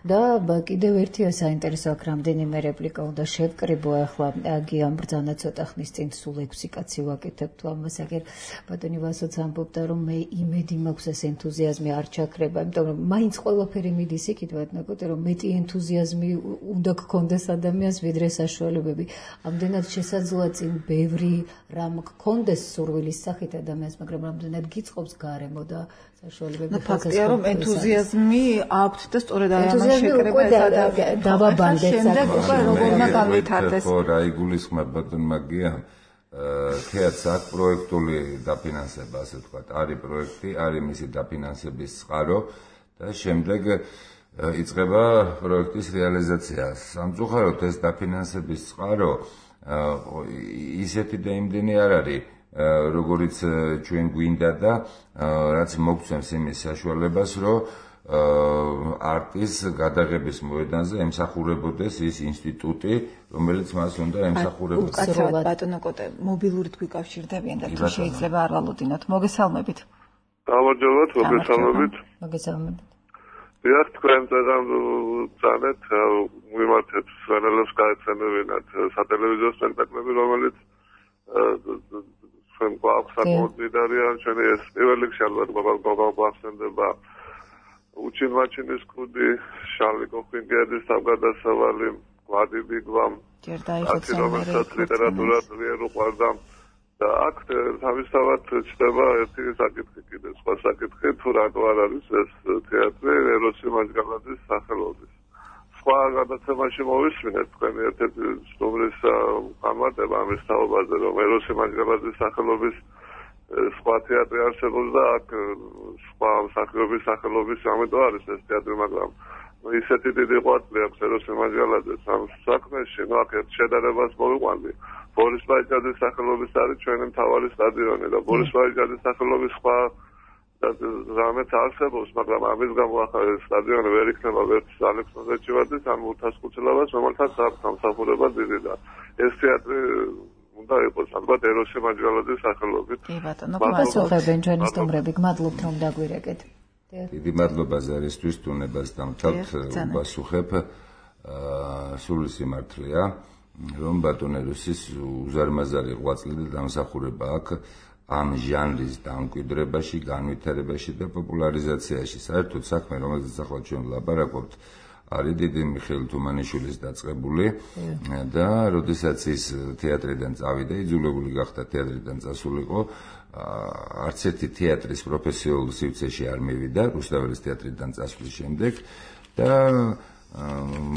და კიდევ ერთი საინტერესო აქ რამდენიმე რეპლიკა უნდა შევკრიბო ახლა გიამ ბრძანა ცოტა ხნის წინ სულ 6 კაცი ვაკეთებთ ამას აგერ ბატონი ვასოც ამბობდა რომ მე იმედი მაქვს ეს ენთუზიაზმი არ ჩაქრება იმიტომ რომ მაინც ყველაფერი მიდის იქით ბატონო რომ მეტი ენთუზიაზმი უნდა გქონდეს ადამიანს ვიდრე საშუალებები ამდენად შესაძლოა წინ ბევრი რამ გქონდეს სურვილის სახით ადამიანს მაგრამ რამდენად გიწყობს გარემო და საშუალებები ფაქტია რომ ენთუზიაზმი აქვთ და სწორედ აი ამას შეკრება ეს დავაბანდეთ შემდეგ უკვე როგორმა განვითარდეს ხო რა იგულისხმება ბატონ მაგია თეატრს აქვს პროექტული დაფინანსება ასე ვთქვათ არის პროექტი არის მისი დაფინანსების წყარო და შემდეგ იწყება პროექტის რეალიზაცია სამწუხაროდ ეს დაფინანსების წყარო ისეთი და იმდენი არ არის როგორც ჩვენ გვინდა და რაც მოგცემს იმის საშუალებას რომ არტის გადაღების მოედანზე ემსახურებოდეს ის ინსტიტუტი რომელიც მას უნდა ემსახურებოდეს უკაცრავად ბატონო კოტე მობილურით გვიკავშირდებიან და თუ შეიძლება არ ვალოდინოთ მოგესალმებით გამარჯობათ მოგესალმებით დიახ თქვენ წანეთ მიმართეთ სვენელებს გაეცემებინათ სატელევიზიო სპექტაკლები რომელიც ჩვენ გვაქვს საკმაოდ დიდარია ჩვენი ეს პირველ რიგში ალბათ გვახსენდება უჩინმაჩინის კუდი შარლი კოფინგერის თავგადასავალი გვადიბი გვამ აკადემიას ლიტერატურა ძლიერ უყვარდა და აქ თავისთავად ჩდება ერთი საკითხი კიდე სხვა საკითხი თუ რატო არ არის ეს თეატრი ეროსი მაჯგალაძის სახელობის სხვა გადაცემაში მოვისმინეთ თქვენი ერთ-ერთი სტუმრის განმარტება ამის თაობაზე, რომ ეროსი მანჯგალაძის სახელობის სხვა თეატრი არსებობს და აქ სხვა მსახიობის სახელობის ამიტომ არის ეს თეატრი, მაგრამ ისეთი დიდი ყვაწლი აქვს ეროსი მანჯგალაძეს ამ საქმეში, აქ ერთ შედარებას მოვიყვანდი. ბორის ბაიჯაძის სახელობის არის ჩვენი მთავარი სტადიონი და ბორის ბაიჯაძის სახელობის სხვა რამეც არსებობს, მაგრამ ამის გამო ახლა სტადიონი ვერ იქნება ვერც ალექსანდრეთში ვარდის ან უთასკუთილებას, რომელთაც აქვს სამსახურება დიდი და ეს თეატრი უნდა იყოს ალბათ ეროსი მანჯგალაძის სახელობით. კი ბატონო, გასუხებენ ჩვენი სტუმრები, გმადლობთ რომ დაგვირეკეთ. დიდი მადლობა ზარისთვის თუნებას დამთავრდით, ვასუხებ სული სიმართლეა, რომ ბატონ ეროსის უზარმაზარი ღვაწლი და დამსახურება აქვს ამ ჟანრის დამკვიდრებაში, განვითარებაში და პოპულარიზაციაში. საერთოდ საქმე, რომელზეც ახლა ჩვენ ვლაპარაკობთ, არის დიდი მიხეილ თუმანიშვილის დაწყებული და როდესაც ის თეატრიდან წავიდა, იძულებული გახდა თეატრიდან წასულიყო, არც ერთი თეატრის პროფესიულ სივრცეში არ მივიდა, რუსთაველის თეატრიდან წასვლის შემდეგ და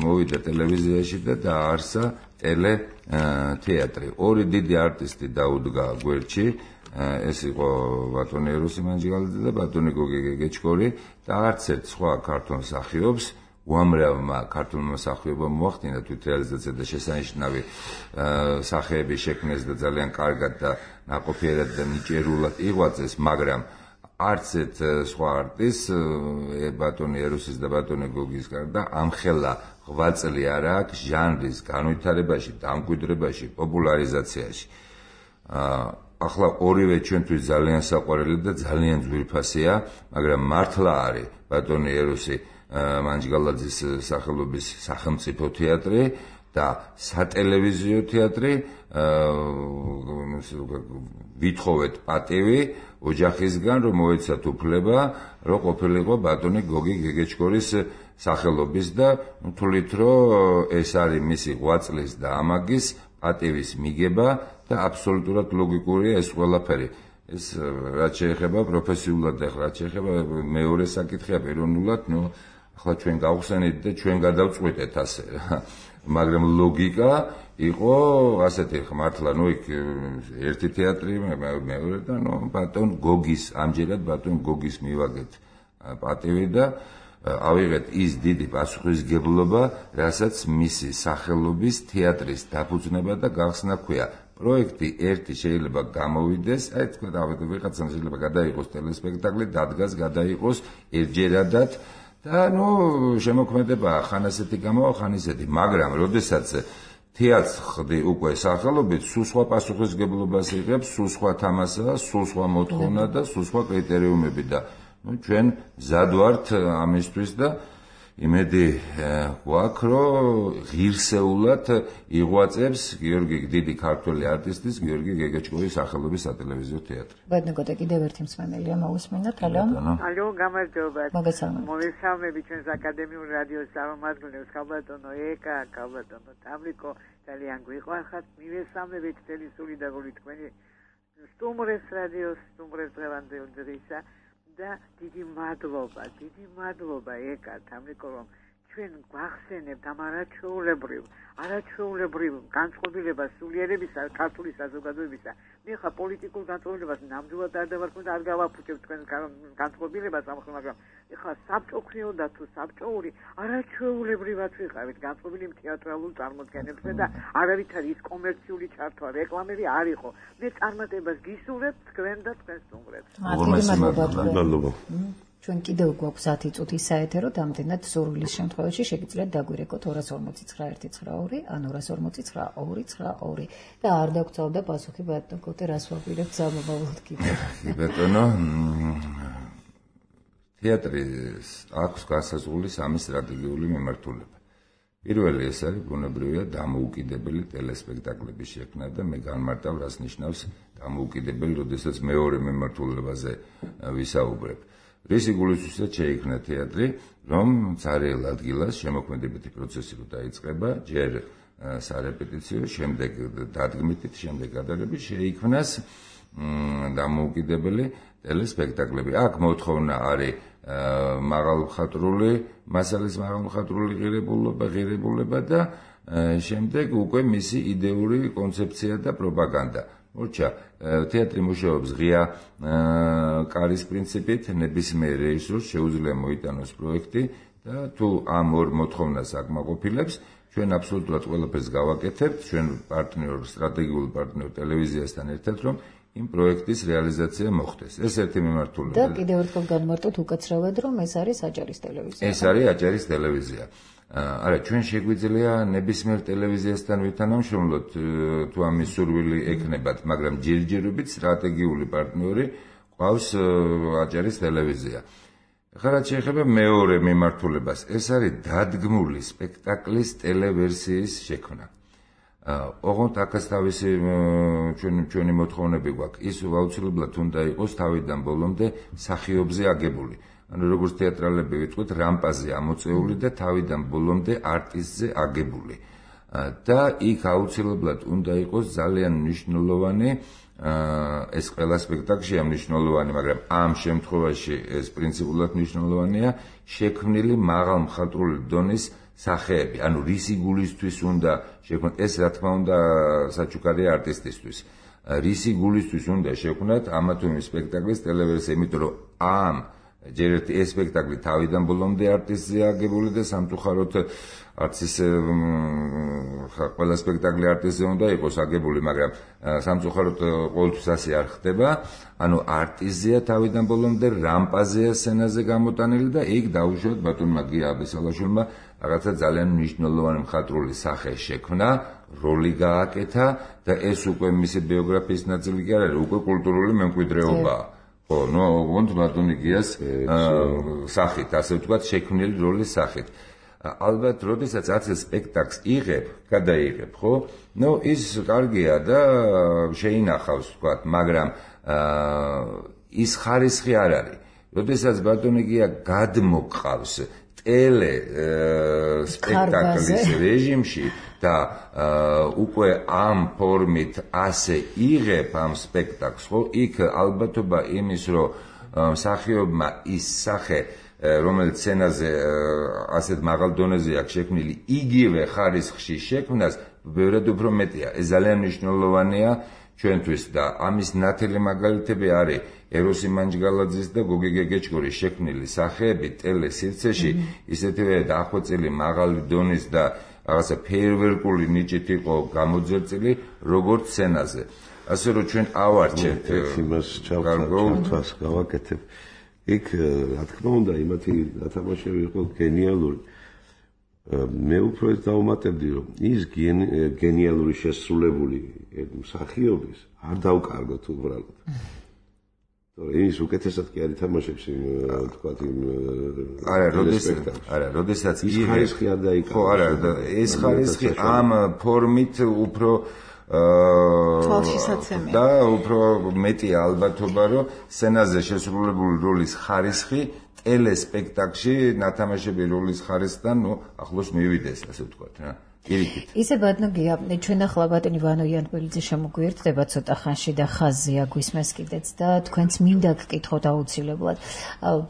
მოვიდა ტელევიზიაში და დააარსა ტელეთეატრი. ორი დიდი არტისტი დაუდგა გვერდში, ეს იყო ბატონი ეროსი მანჯგალაძე და ბატონი გოგი გეგეჩკორი და არც ერთ სხვა ქართულ მსახიობს უამრავმა ქართულმა მსახიობამ მოახდინა თვითრეალიზაცია და შესანიშნავი სახეები შექმნეს და ძალიან კარგად და ნაყოფიერად და ნიჭიერულად იღვაწეს, მაგრამ არც ერთ სხვა არტისტს ბატონი ეროსის და ბატონი გოგის გარდა ამხელა ღვაწლი არ აქვს ჟანრის განვითარებაში, დამკვიდრებაში, პოპულარიზაციაში. ახლა ორივე ჩვენთვის ძალიან საყვარელი და ძალიან ძვირფასია, მაგრამ მართლა არის ბატონი ეროსი მანჯგალაძის სახელობის სახელმწიფო თეატრი და სატელევიზიო თეატრი, ვითხოვეთ პატივი ოჯახისგან, რომ მოეცათ უფლება, რომ ყოფილიყო ბატონი გოგი გეგეჩკორის სახელობის და თვლით, რომ ეს არის მისი ღვაწლის და ამაგის პატივის მიგება და აბსოლუტურად ლოგიკურია ეს ყველაფერი. ეს რაც შეეხება პროფესიულად, რაც შეეხება მეორე საკითხია პიროვნულად, ახლა ჩვენ გავხსენით და ჩვენ გადავწყვიტეთ ასე. მაგრამ ლოგიკა იყო ასეთი, მართლა იქ ერთი თეატრი, მეორე და ბატონ გოგის, ამჯერად ბატონ გოგის მივაგეთ პატივი და ავიღეთ ის დიდი პასუხისგებლობა, რასაც მისი სახელობის თეატრის დაფუძნება და გახსნა ქვია. პროექტი ერთი შეიძლება გამოვიდეს, აი თქვა დავიდე ვიღაცამ შეიძლება გადაიღოს ტელესპექტაკლი, დადგას გადაიღოს ერთჯერადად და შემოქმედება ხან ასეთი გამოვა, ხან ისეთი, მაგრამ როდესაც თეატრს ხდი უკვე სახელობით, სულ სხვა პასუხისგებლობას იღებს, სულ სხვა თამასაა, სულ სხვა მოთხოვნა და სულ სხვა კრიტერიუმები და ჩვენ მზად ვართ ამისთვის და იმედი გვაქვს, რომ ღირსეულად იღვაწებს გიორგი დიდი ქართველი არტისტის გიორგი გეგეჩკორის სახელობის სატელევიზიო თეატრი. ბედნოგოte კიდევ ერთი მსმენელია მოусმინოთ. ალო, გამარჯობა. მოგესალმები ჩვენს აკადემიურ რადიოს წარმომადგენლებს, ქალბატონო ეკა, ქალბატონო თამრიკო, ძალიან გვიყვარხართ. მივესალმებით მთელი სული და გული თქვენი სტუმრებს რადიოს, სტუმრებს დღევანდელ დღისა. და დიდი მადლობა ეკა თამრიკო, რომ ჩვენ გვახსენებთ ამ არაჩვეულებრივ განწყობილებას სულიერებისა ქართული საზოგადოებისა. მე ხა პოლიტიკურ განწყობილებას ნამდვილად არ დავარქმევ და არ გავაფუჭებ თქვენ განწყობილებას ამ ხოლმე, მაგრამ ეხლა საბჭო ქნიოდა თუ საბჭოური არაჩვეულებრივად ვიყავით განწყობილი თეატრალურ წარმოდგენებზე და არავითარი ის კომერციული ჩართვა, რეკლამები არ იყო. მე წარმატებას გისურვებ თქვენ და თქვენ სტუმრებს. მადლობა. ჩვენ კიდევ გვაქვს 10 წუთი საეთერო, ამდენად სურვილის შემთხვევაში შეგიძლიათ დაგვირეკოთ 2491992 ან 2492292 და არ დაგწავდა პასუხი ბატონო, რას ვაპირებთ სამომავლოდ კიდევ. ბატონო, თეატრის აქვს განსაზღვრული სამი სტრატეგიული მიმართულება. პირველი ეს არის ბუნებრივია დამოუკიდებელი ტელესპექტაკლების შექმნა და მე განმარტავ, რას ნიშნავს დამოუკიდებელი, როდესაც მეორე მიმართულებაზე ვისაუბრებ. რისი გულისხმობთ შეიქმნა თეატრი, რომ цаრიელ ადგილას შემოქმედებითი პროცესი რო დაიწყება, ჯერ სარეპეტიციო, შემდეგ დადგმით, შემდეგ გადაღებით შეიქმნას დამოუკიდებელი ტელესპექტაკლები. აქ მოთხოვნა არის მაღალმხატვრული მასალის მაღალმხატვრული ღირებულება და შემდეგ უკვე მისი იდეური კონცეფცია და პროპაგანდა. მორჩა, თეატრი მუშაობს ღია კარის პრინციპით, ნებისმიერ რეჟისორს შეუძლია მოიტანოს პროექტი და თუ ამ ორ მოთხოვნას აკმაყოფილებს, ჩვენ აბსოლუტურად ყველაფერს გავაკეთებთ, ჩვენ სტრატეგიული პარტნიორ ტელევიზიასთან ერთად, რომ იმ პროექტის რეალიზაცია მოხდეს. ეს ერთი მიმართულება. და კიდევ ერთხელ განმარტოთ უკაცრავად, რომ ეს არის აჭარის ტელევიზია. ეს არის აჭარის ტელევიზია. არა, ჩვენ შეგვიძლია ნებისმიერ ტელევიზიასთან ვითანამშრომლოთ, თუ ამის სურვილი ექნებათ, მაგრამ ჯერჯერობით სტრატეგიული პარტნიორი ყავს აჭარის ტელევიზია. ახლა რაც შეეხება მეორე მიმართულებას, ეს არის დადგმული სპექტაკლის ტელევერსიის შექმნა. ოღონდ აქაც თავისი ჩვენი მოთხოვნები გვაქვს. ის აუცილებლად უნდა იყოს თავიდან ბოლომდე მსახიობზე აგებული. ანუ როგორც თეატრალები ვიტყვით, რამპაზე ამოწეული და თავიდან ბოლომდე არტისტზე აგებული. და იქ აუცილებლად უნდა იყოს ძალიან მნიშვნელოვანი ეს ყველა სპექტაკლშია მნიშვნელოვანი, მაგრამ ამ შემთხვევაში ეს პრინციპულად მნიშვნელოვანია შექმნილი მაღალმხატვრული დონის სახეები, ანუ რისი გულისთვის უნდა შექმნათ, ეს რა თქმა უნდა საჩუქარია არტისტისთვის. რისი გულისთვის უნდა შექმნათ ამა თუ იმ სპექტაკლის ტელევერსია, იმიტომ რომ ამ ჯერ ერთი ეს სპექტაკლი თავიდან ბოლომდე არტისტზე აგებული და სამწუხაროდ არც ის ყველა სპექტაკლი არტისტზე უნდა იყოს აგებული, მაგრამ სამწუხაროდ ყოველთვის ასე არ ხდება. ანუ არტისტზეა თავიდან ბოლომდე, რამპაზეა სცენაზე გამოტანილი და იქ დაუშვათ ბატონმა გია აბესალაშვილმა რაღაცა ძალიან მნიშვნელოვანი მხატვრული სახე შექმნა, როლი გააკეთა და ეს უკვე მისი ბიოგრაფიის ნაწილი კი არ არის, უკვე კულტურული მემკვიდრეობაა. ხო, ოღონდ ბატონი გიას სახით, ასე ვთქვათ, შექმნილი როლის სახით. ალბათ, როდესაც არც სპექტაკლს გადაიღებ, ხო? ის კარგია და შეინახავს, ვთქვათ, მაგრამ ის ხარისხი არ არის. როდესაც ბატონი გია გადმოყავს ტელე სპექტაკლის რეჟიმში და უკვე ამ ფორმით ასე იღებ ამ სპექტაკლს, ხო? იქ ალბათობა იმის, რომ მსახიობმა ის სახე რომელიც სცენაზე ასეთ მაღალ დონეზე აქვს შექმნილი, იგივე ხარისხში შექმნას ბევრად უფრო მეტია. ეს ძალიან მნიშვნელოვანია ჩვენთვის და ამის ნათელი მაგალითები არის ეროსი მანჯგალაძის და გოგი გეგეჭკორის შექმნილი სახეები ტელესივრცეში, ისეთივე დახვეწილი მაღალი დონის და რაღაცა ფეიერვერკული ნიჭით იყო გამოძერწილი როგორც სცენაზე. ასე რომ ჩვენ ავარჩევთ იმას ჩავკარგოთ, გავაკეთებ. იქ რა თქმა უნდა იმათი გათამაშები იყო გენიალური. მე უფრო ეს დავუმატებდი, რომ ის გენიალური შესრულებული მსახიობის არ დავკარგოთ უბრალოდ. ის უკეთესად კი არ ითამაშებს იმ თქვათ იმ როდესაც ის ხარისხი არ დაიკარგა. ხო, არა, ეს ხარისხი ამ ფორმით უფრო თვალშისაცემია და უფრო მეტია ალბათობა, რომ სცენაზე შესრულებული როლის ხარისხი ტელესპექტაკლში ნათამაშები როლის ხარისხთან ახლოს მივიდეს, ასე ვთქვათ რა. ისე ბატონო გია, ჩვენ ახლა ბატონი ვანო იანბელიძე შემოგვიერთდება ცოტა ხანში და ხაზია გვისმეს კიდეც და თქვენც მინდა გკითხოთ აუცილებლად.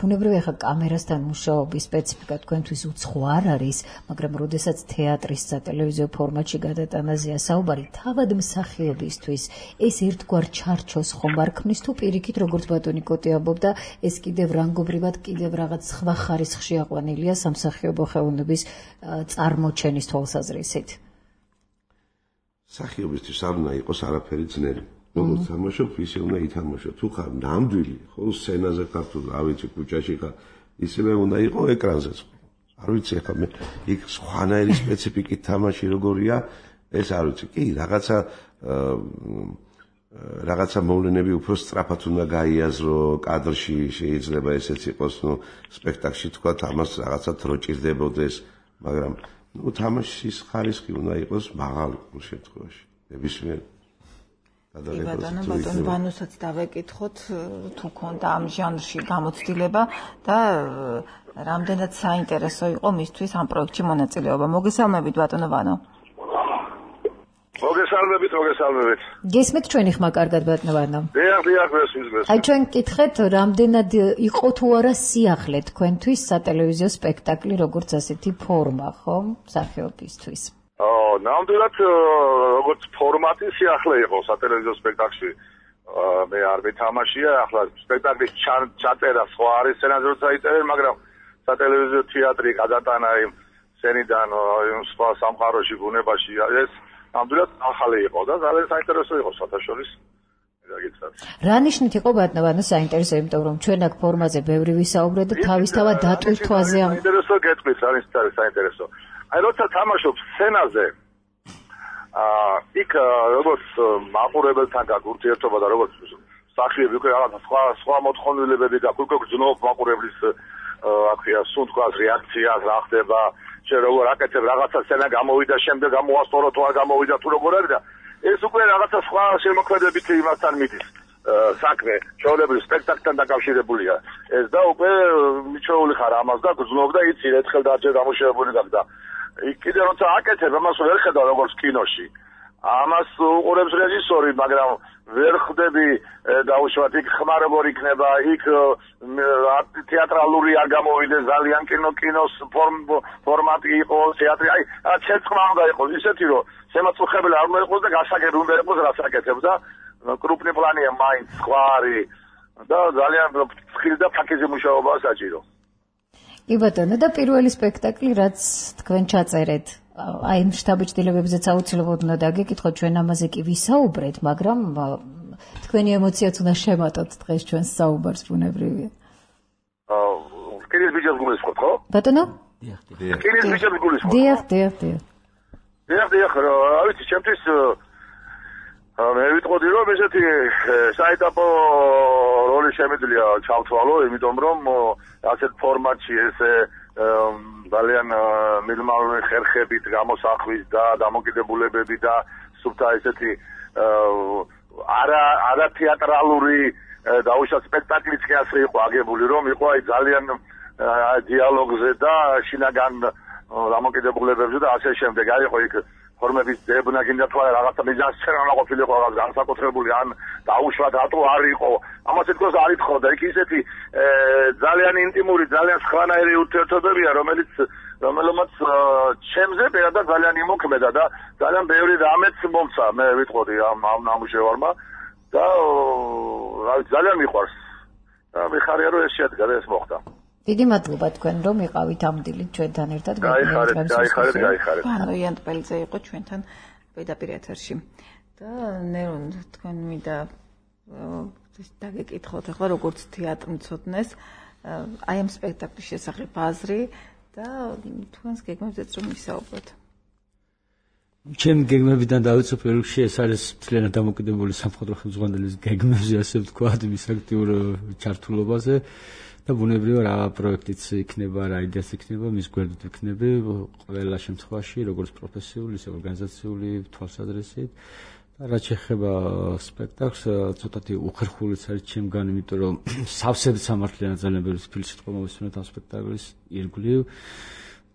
ბუნებრივია ხა კამერასთან მუშაობის სპეციფიკა თქვენთვის უცხო არ არის, მაგრამ როდესაც თეატრის სატელევიზიო ფორმატში გადატანაზეა საუბარი, თავად მსახიობისთვის ეს ერთგვარ ჩარჩოს ხომ არ ქმნის თუ პირიქით, როგორც ბატონი კოტი ამბობდა, ეს კიდევ რანგობრივად კიდევ რაღაც სხვა ხარისხში აყვანილია სამსახიობო ხელოვნების წარმოჩენის თვალსაზრისით. სახიობისთვის არ უნდა იყოს არაფერი ძნელი. როგორც თამაშობ, ისე უნდა ითამაშო. თუ ხარ ნამდვილი, ხო, სცენაზე ხარ თუ რა ვიცი, ქუჩაში ხარ, ისევე უნდა იყოს ეკრანზეც. არ ვიცი ახლა მე იქ სხვანაირი სპეციფიკით თამაში როგორია, ეს არ ვიცი. კი, რაღაცა მოვლენები უფრო სწრაფად უნდა გაიაზრო კადრში, შეიძლება ესეც იყოს, სპექტაკლში თქვა, ამას რაღაცა დრო ჭირდებოდეს, მაგრამ თამაშის ხარისხი უნდა იყოს მაღალი შემთხვევაში. ნებისმიერ ბატონ ვანოსაც დავეკითხოთ, თუ ქონდა ამ ჟანრში გამოცდილება და რამდენად საინტერესო იყო მისთვის ამ პროექტში მონაწილეობა. მოგესალმებით ბატონო ვანო. მოგესალმებით. გესმით ჩვენი ხმა კარგად ბატონო. დიახ, გესმის. აი ჩვენ გკითხეთ, რამდენად იყო თუ არა სიახლე თქვენთვის სატელევიზიო სპექტაკლი, როგორც ასეთი ფორმა, ხო, მსახიობისთვის? ნამდვილად როგორც ფორმატი სიახლე იყო სატელევიზიო სპექტაკლში. მე არ მეთამაშია, ახლა სპექტაკლის ჩაწერა სხვა არის სცენაზე როცა იწერენ, მაგრამ სატელევიზიო თეატრი გადატანა იმ სცენიდან სხვა სამყაროში, ბუნებაში ეს ნამდვილად ახალი იყო და ძალიან საინტერესო იყო სათავშორის გაგიცნობ. რა ნიშნით იყო ბატონო საინტერესო, იმიტომ რომ ჩვენ აქ ფორმაზე ბევრი ვისაუბრეთ და თავისთავად დატვირთვაზე ამ საინტერესო გეტყვით, არის საინტერესო. აი როცა თამაშობ სცენაზე იქ როგორც მაყურებელთან გაქვს ურთიერთობა და როგორც მსახიობი უკვე რაღაც სხვა მოთხოვნილებები გაქვს, უკვე გძნობ მაყურებლის აქია სუნთქვას რეაქციას რა ხდება, შენ როგორ აკეთებ რაღაცა სცენა გამოვიდა, შემდეგ გამოასწორო თუ არ გამოვიდა თუ როგორ არის და ეს უკვე რაღაცა სხვა შემოქმედებით იმასთან მიდის საქმე, ჩვეულებრივ სპექტაკლთან დაკავშირებულია. ეს და უკვე მიჩვეული ხარ ამას და გძნობ და იცი ერთხელ დაჯერ გამოშვებული გაქვს და იქ კიდე როცა აკეთებ ამას ვერ ხედავ როგორც კინოში. ამას უყურებს რეჟისორი, მაგრამ ვერ ხდები დაუშვათ იქ ხმა როგორ იქნება, იქ თეატრალური არ გამოვიდეს ძალიან კინოს ფორმატი იყო, თეატრი, აი ცეცხლმა უნდა იყოს ისეთი რომ შემაწუხებელი არ უნდა იყოს და გასაგები უნდა იყოს რაც აკეთებ და კრუპნი პლანია მაინც სხვა არის და ძალიან ფხილი და ფაქიზი მუშაობაა საჭირო. კი ბატონო, და პირველი სპექტაკლი რაც თქვენ ჩაწერეთ, აი იმ შთაბეჭდილებებზეც აუცილებლად უნდა დაგეკითხოთ, ჩვენ ამაზე კი ვისაუბრეთ, მაგრამ თქვენი ემოციაც უნდა შემატოთ დღეს ჩვენს საუბარს ბუნებრივია. კირის ბიჭებს გულისხმობ, ხო? ბატონო? დიახ. კირის ბიჭებს გულისხმობ. დიახ. დიახ, ავიცი ჩემთვის მე ვიტყოდი რომ ესეთი საეტაპო როლი შემიძლია ჩავთვალო, იმიტომ რომ ასეთ ფორმატში ესე ძალიან მinimalური ხერხებით გამოსახვის და დამოკიდებულებები და სუფთა ესეთი არა თეატრალური დაუშვათ სპექტაკლიც კი ასე იყო აგებული, რომ იყო აი ძალიან დიალოგზე და შინაგან დამოკიდებულებებზე და ასე შემდეგ. არ იყო იქ ფორმების დებნა გინდა თუ არა რაღაცა მიზანსცენა უნდა ყოფილიყო რაღაც განსაკუთრებული ან დაუშვათ რატო არ იყო ამას თქოს არ ითხოვდა იქ ისეთი ძალიან ინტიმური ძალიან სხვანაირი ურთიერთობებია რომელიც ჩემზე პირადად ძალიან იმოქმედა და ძალიან ბევრი რამეც მომცა მე ვიტყოდი ამ ნამუშევარმა და ძალიან მიყვარს და მიხარია რომ ეს შედგა და ეს მოხდა. დიდი მადლობა თქვენ რომ იყავით ამ დილით ჩვენთან ერთად. გაიხარეთ. ანუ იან ტყელიძე იყო ჩვენთან პირდაპირ ეთერში. და ნერონ თქვენ მინდა დაგეკითხოთ ახლა როგორც თეატრმცოდნეს აი ამ სპექტაკლის შესახებ აზრი და თქვენს გეგმებზეც რომ ვისაუბროთ. ჩემი გეგმებიდან დავიცვაფ პირველში ეს არის მთლიანად დამოკიდებული სამხატვრო ხელმძღვანელის გეგმებზე ასე ვთქვათ მის აქტიურ ჩართულობაზე. და ბუნებრივია რა პროექტიც იქნება, რა იდეაც იქნება, მის გვერდით იქნება ყველა შემთხვევაში, როგორც პროფესიული, ისე ორგანიზაციული თვალსაზრისით. და რაც შეეხება სპექტაკლს, ცოტათი უხერხულიც არის ჩემგან, იმიტომ რომ სავსედ სამართლიანად ძალიან ბევრი ფილოსოფია მომისმენთ ამ სპექტაკლის ირგვლივ.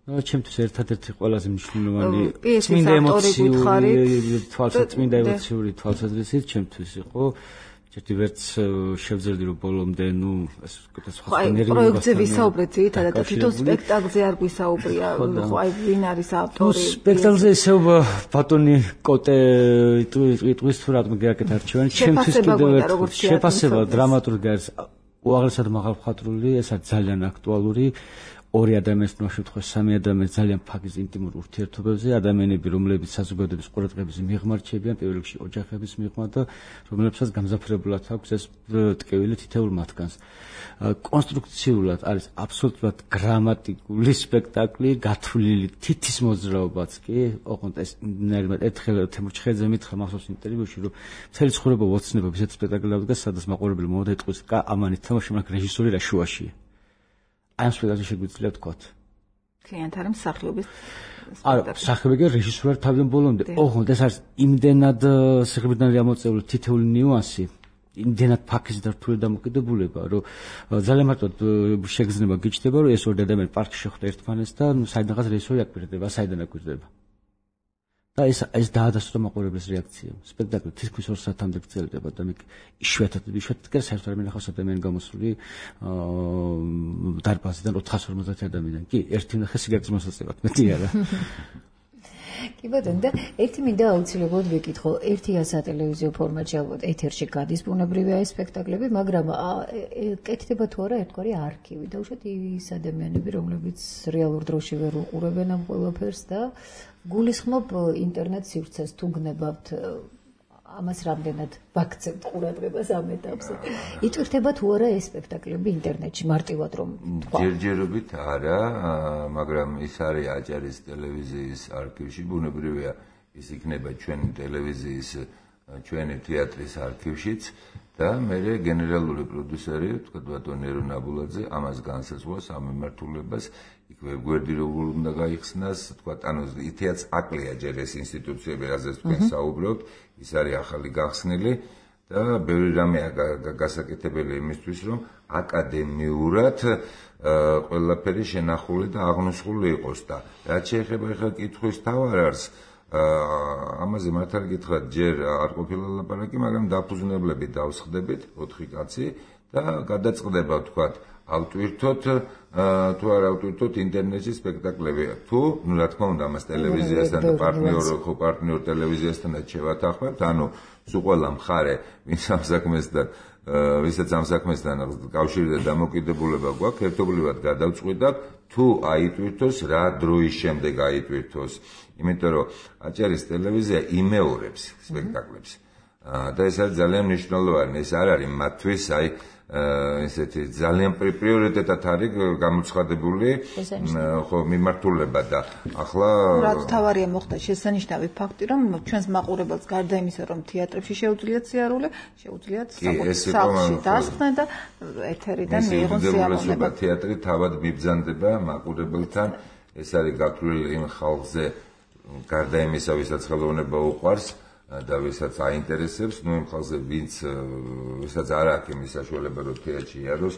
და ჩემთვის ერთადერთი ყველაზე მნიშვნელოვანი წმინდა ემოციური თვალსაზრისით ჩემთვის იყო ერთი ვერც შევძლებდი რომ ბოლომდე ეს სხვა პროექტზე ვისაუბრეთ ძირითადად და თვითონ სპექტაკლზე არ გვისაუბრია ხო აი ვინ არის ავტორი სპექტაკლზე ისევ ბატონი კოტე იტყვის თუ რატომ გეაკეთა არჩევანი ჩემთვის კიდევ შეფასება დრამატურგი არის უაღრესად მაღალმხატვრული ეს არის ძალიან აქტუალური ორი ადამიანის შემთხვევაში სამი ადამიანი ძალიან ფაქიზ ინტიმურ ურთიერთობებზე ადამიანები რომლებიც საზოგადოების ყურადღების მიღმა რჩებიან პირველ რიგში ოჯახების მიღმა და რომლებსაც გამზაფრებულად აქვს ეს ტკივილი თითოეულ მათგანს კონსტრუქციულად არის აბსოლუტურად გრამატიკული სპექტაკლი გათვლილი თითის მოძრაობაც კი ოღონდ ეს ერთხელ თემურჩხეძე მითხრა მახსოვს ინტერვიუში რომ მთელი ცხოვრება ვოცნება ისეთ სპექტაკლს დგას სადაც მაყურებელი მომდა იტყვის კა ამანი თამაში მაგრამ რეჟისორი რა შუაშია ამ სპექტაკლში შეგვიძლია ვთქვათ. კლიენტ არის მსახიობის არა, მსახიობი რეჟისორი თავიდან ბოლომდე. ოღონდ ეს არის იმდენად სიღრმიდან გამოწეული თითოეული ნიუანსი, იმდენად ფაქიზი და რთული დამოკიდებულება, რომ ძალიან მარტოდ შეგრძნება გიჩნდება, რომ ეს ორი ადამიანი პარკში შეხვდა ერთმანეთს და საიდანღაც რეჟისორი აკპირდება, საიდან აკპირდება. და ეს დაადასტურა მაყურებლის რეაქცია. სპექტაკლი თითქმის 2 საათამდე გრძელდება და იშვიათად კი საერთოდ არ მინახავს ადამიანი გამოსული დარბაზიდან 450 ადამიანი. კი, ერთი ნახე სიგარეტის მოსაწევად, მეტი არა. კი ბატონო, და ერთი მინდა აუცილებლად ვიკითხო, ერთი სატელევიზიო ფორმატში ალბათ ეთერში გადის ბუნებრივია ეს სპექტაკლები, მაგრამ კეთდება თუ არა ერთგვარი არქივი და უშუალოდ ის ადამიანები, რომლებიც რეალურ დროში ვერ უყურებენ ამ ყველაფერს და გულისხმობ ინტერნეტ სივრცეს თუ გნებავთ ამას რამდენად ვაქცევთ ყურადღებას ამ ეტაპზე. იტვირთება თუ არა ეს სპექტაკლები ინტერნეტში მარტივად რომ თქვა. ჯერჯერობით არა, მაგრამ ის არის აჭარის ტელევიზიის არქივში, ბუნებრივია ის იქნება ჩვენი ტელევიზიის, ჩვენი თეატრის არქივშიც და მე გენერალური პროდიუსერი, თქვა ბატონ ერო ნაბულაძე, ამას განსაზღვრავს ამ მიმართულებას. იქ ვერ გვერდი როგორ უნდა გაიხსნას, თქვა ანუ თეატრს აკლია ჯერ ეს ინსტიტუციები, რაზეც თქვენ საუბრობთ, ის არის ახალი გახსნილი და ბევრი რამეა გასაკეთებელი იმისთვის, რომ აკადემიურად ყველაფერი შენახული და აღნუსხული იყოს და რაც შეეხება ახლა კითხვის თავარარს, ამაზე მართალი გითხრათ, ჯერ არ ყოფილა ლაპარაკი, მაგრამ დაფუძნებლები დავსხდებით 4 კაცი და გადაწყდება თქვათ ავტვირთოთ თუ არ ავტვირთოთ ინტერნეტში სპექტაკლები თუ რა თქმა უნდა მას ტელევიზიასთან და პარტნიორ ტელევიზიასთანაც შევათანხმებთ ანუ სულ ყველა მხარე ვისაც ამ საქმესთან კავშირი და დამოკიდებულება გვაქვს ერთობლივად გადავწყვიტავთ თუ აიტვირთოს რა დროის შემდეგ აიტვირთოს იმიტომ რომ აჭარის ტელევიზია იმეორებს სპექტაკლებს და ეს არის ძალიან მნიშვნელოვანი ეს არ არის მათთვის აი ესეთი ძალიან პრიორიტეტად არის გამოცხადებული ხო მიმართულება და ახლა რაც თავარია მოხდა შესანიშნავი ფაქტი რომ ჩვენს მაყურებელს გარდა იმისა რომ თეატრებში შეუძლიათ სიარული შეუძლიათ სახლში დასხდნენ და ეთერიდან მიიღონ სიამოვნება თეატრი თავად მიბრძანდება მაყურებელთან ეს არის გაქრული იმ ხალხზე გარდა იმისა ვისაც ხელოვნება უყვარს და ვისაც აინტერესებს, ნუ იმ ხალხზე ვისაც არ აქვს იმის საშუალება რომ თეატრში იაროს,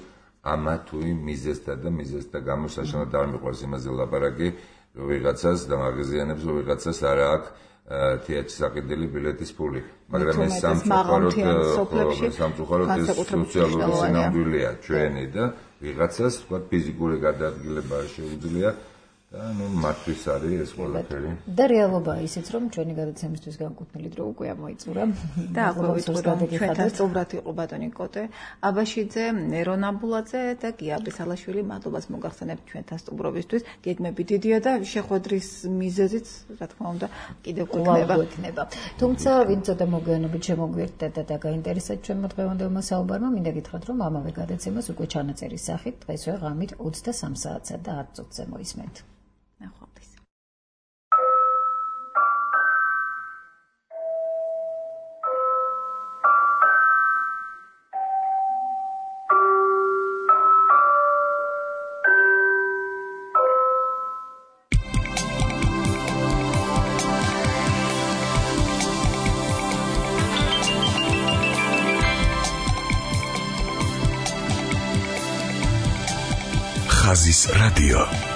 ამა თუ იმ მიზეზთა გამო საშინელად არ მიყვარს იმაზე ლაპარაკი, რომ ვიღაცას დამაღიზიანებს, რომ ვიღაცას არ აქვს თეატრში საყიდელი ბილეთის ფული. მაგრამ ეს სამწუხაროდ ეს სოციალური სინამდვილეა ჩვენი და ვიღაცას თქვა ფიზიკური გადაადგილება არ შეუძლია. და ნუ მათთვის არის ეს ყველაფერი. და რეალობაა ისიც, რომ ჩვენი გადაცემისთვის განკუთვნილი დრო უკვე ამოიწურა. და აქვე ვიტყვი, რომ ჩვენთან სწობრად იყო ბატონი კოტე, აბაშიძე, ნერო ნაბულაძე და გიაბი სალაშვილი, მადლობას მოგახსენებთ ჩვენთან სტუმრობისთვის. გეგმები დიდია და შეხვედრის მიზეზიც, რა თქმა უნდა, კიდევ გვექნება. თუმცა, ვინც ცოტა მოგვიანებით შემოგვიერთდა და გაინტერესდა ჩვენმა დღევანდელმა საუბარმა, მინდა გითხრათ, რომ ამავე გადაცემას უკვე ჩანაწერის სახით დღესვე ღამით 23 საათსა და 10 წუთზე მოისმენთ. ხაზის რადიო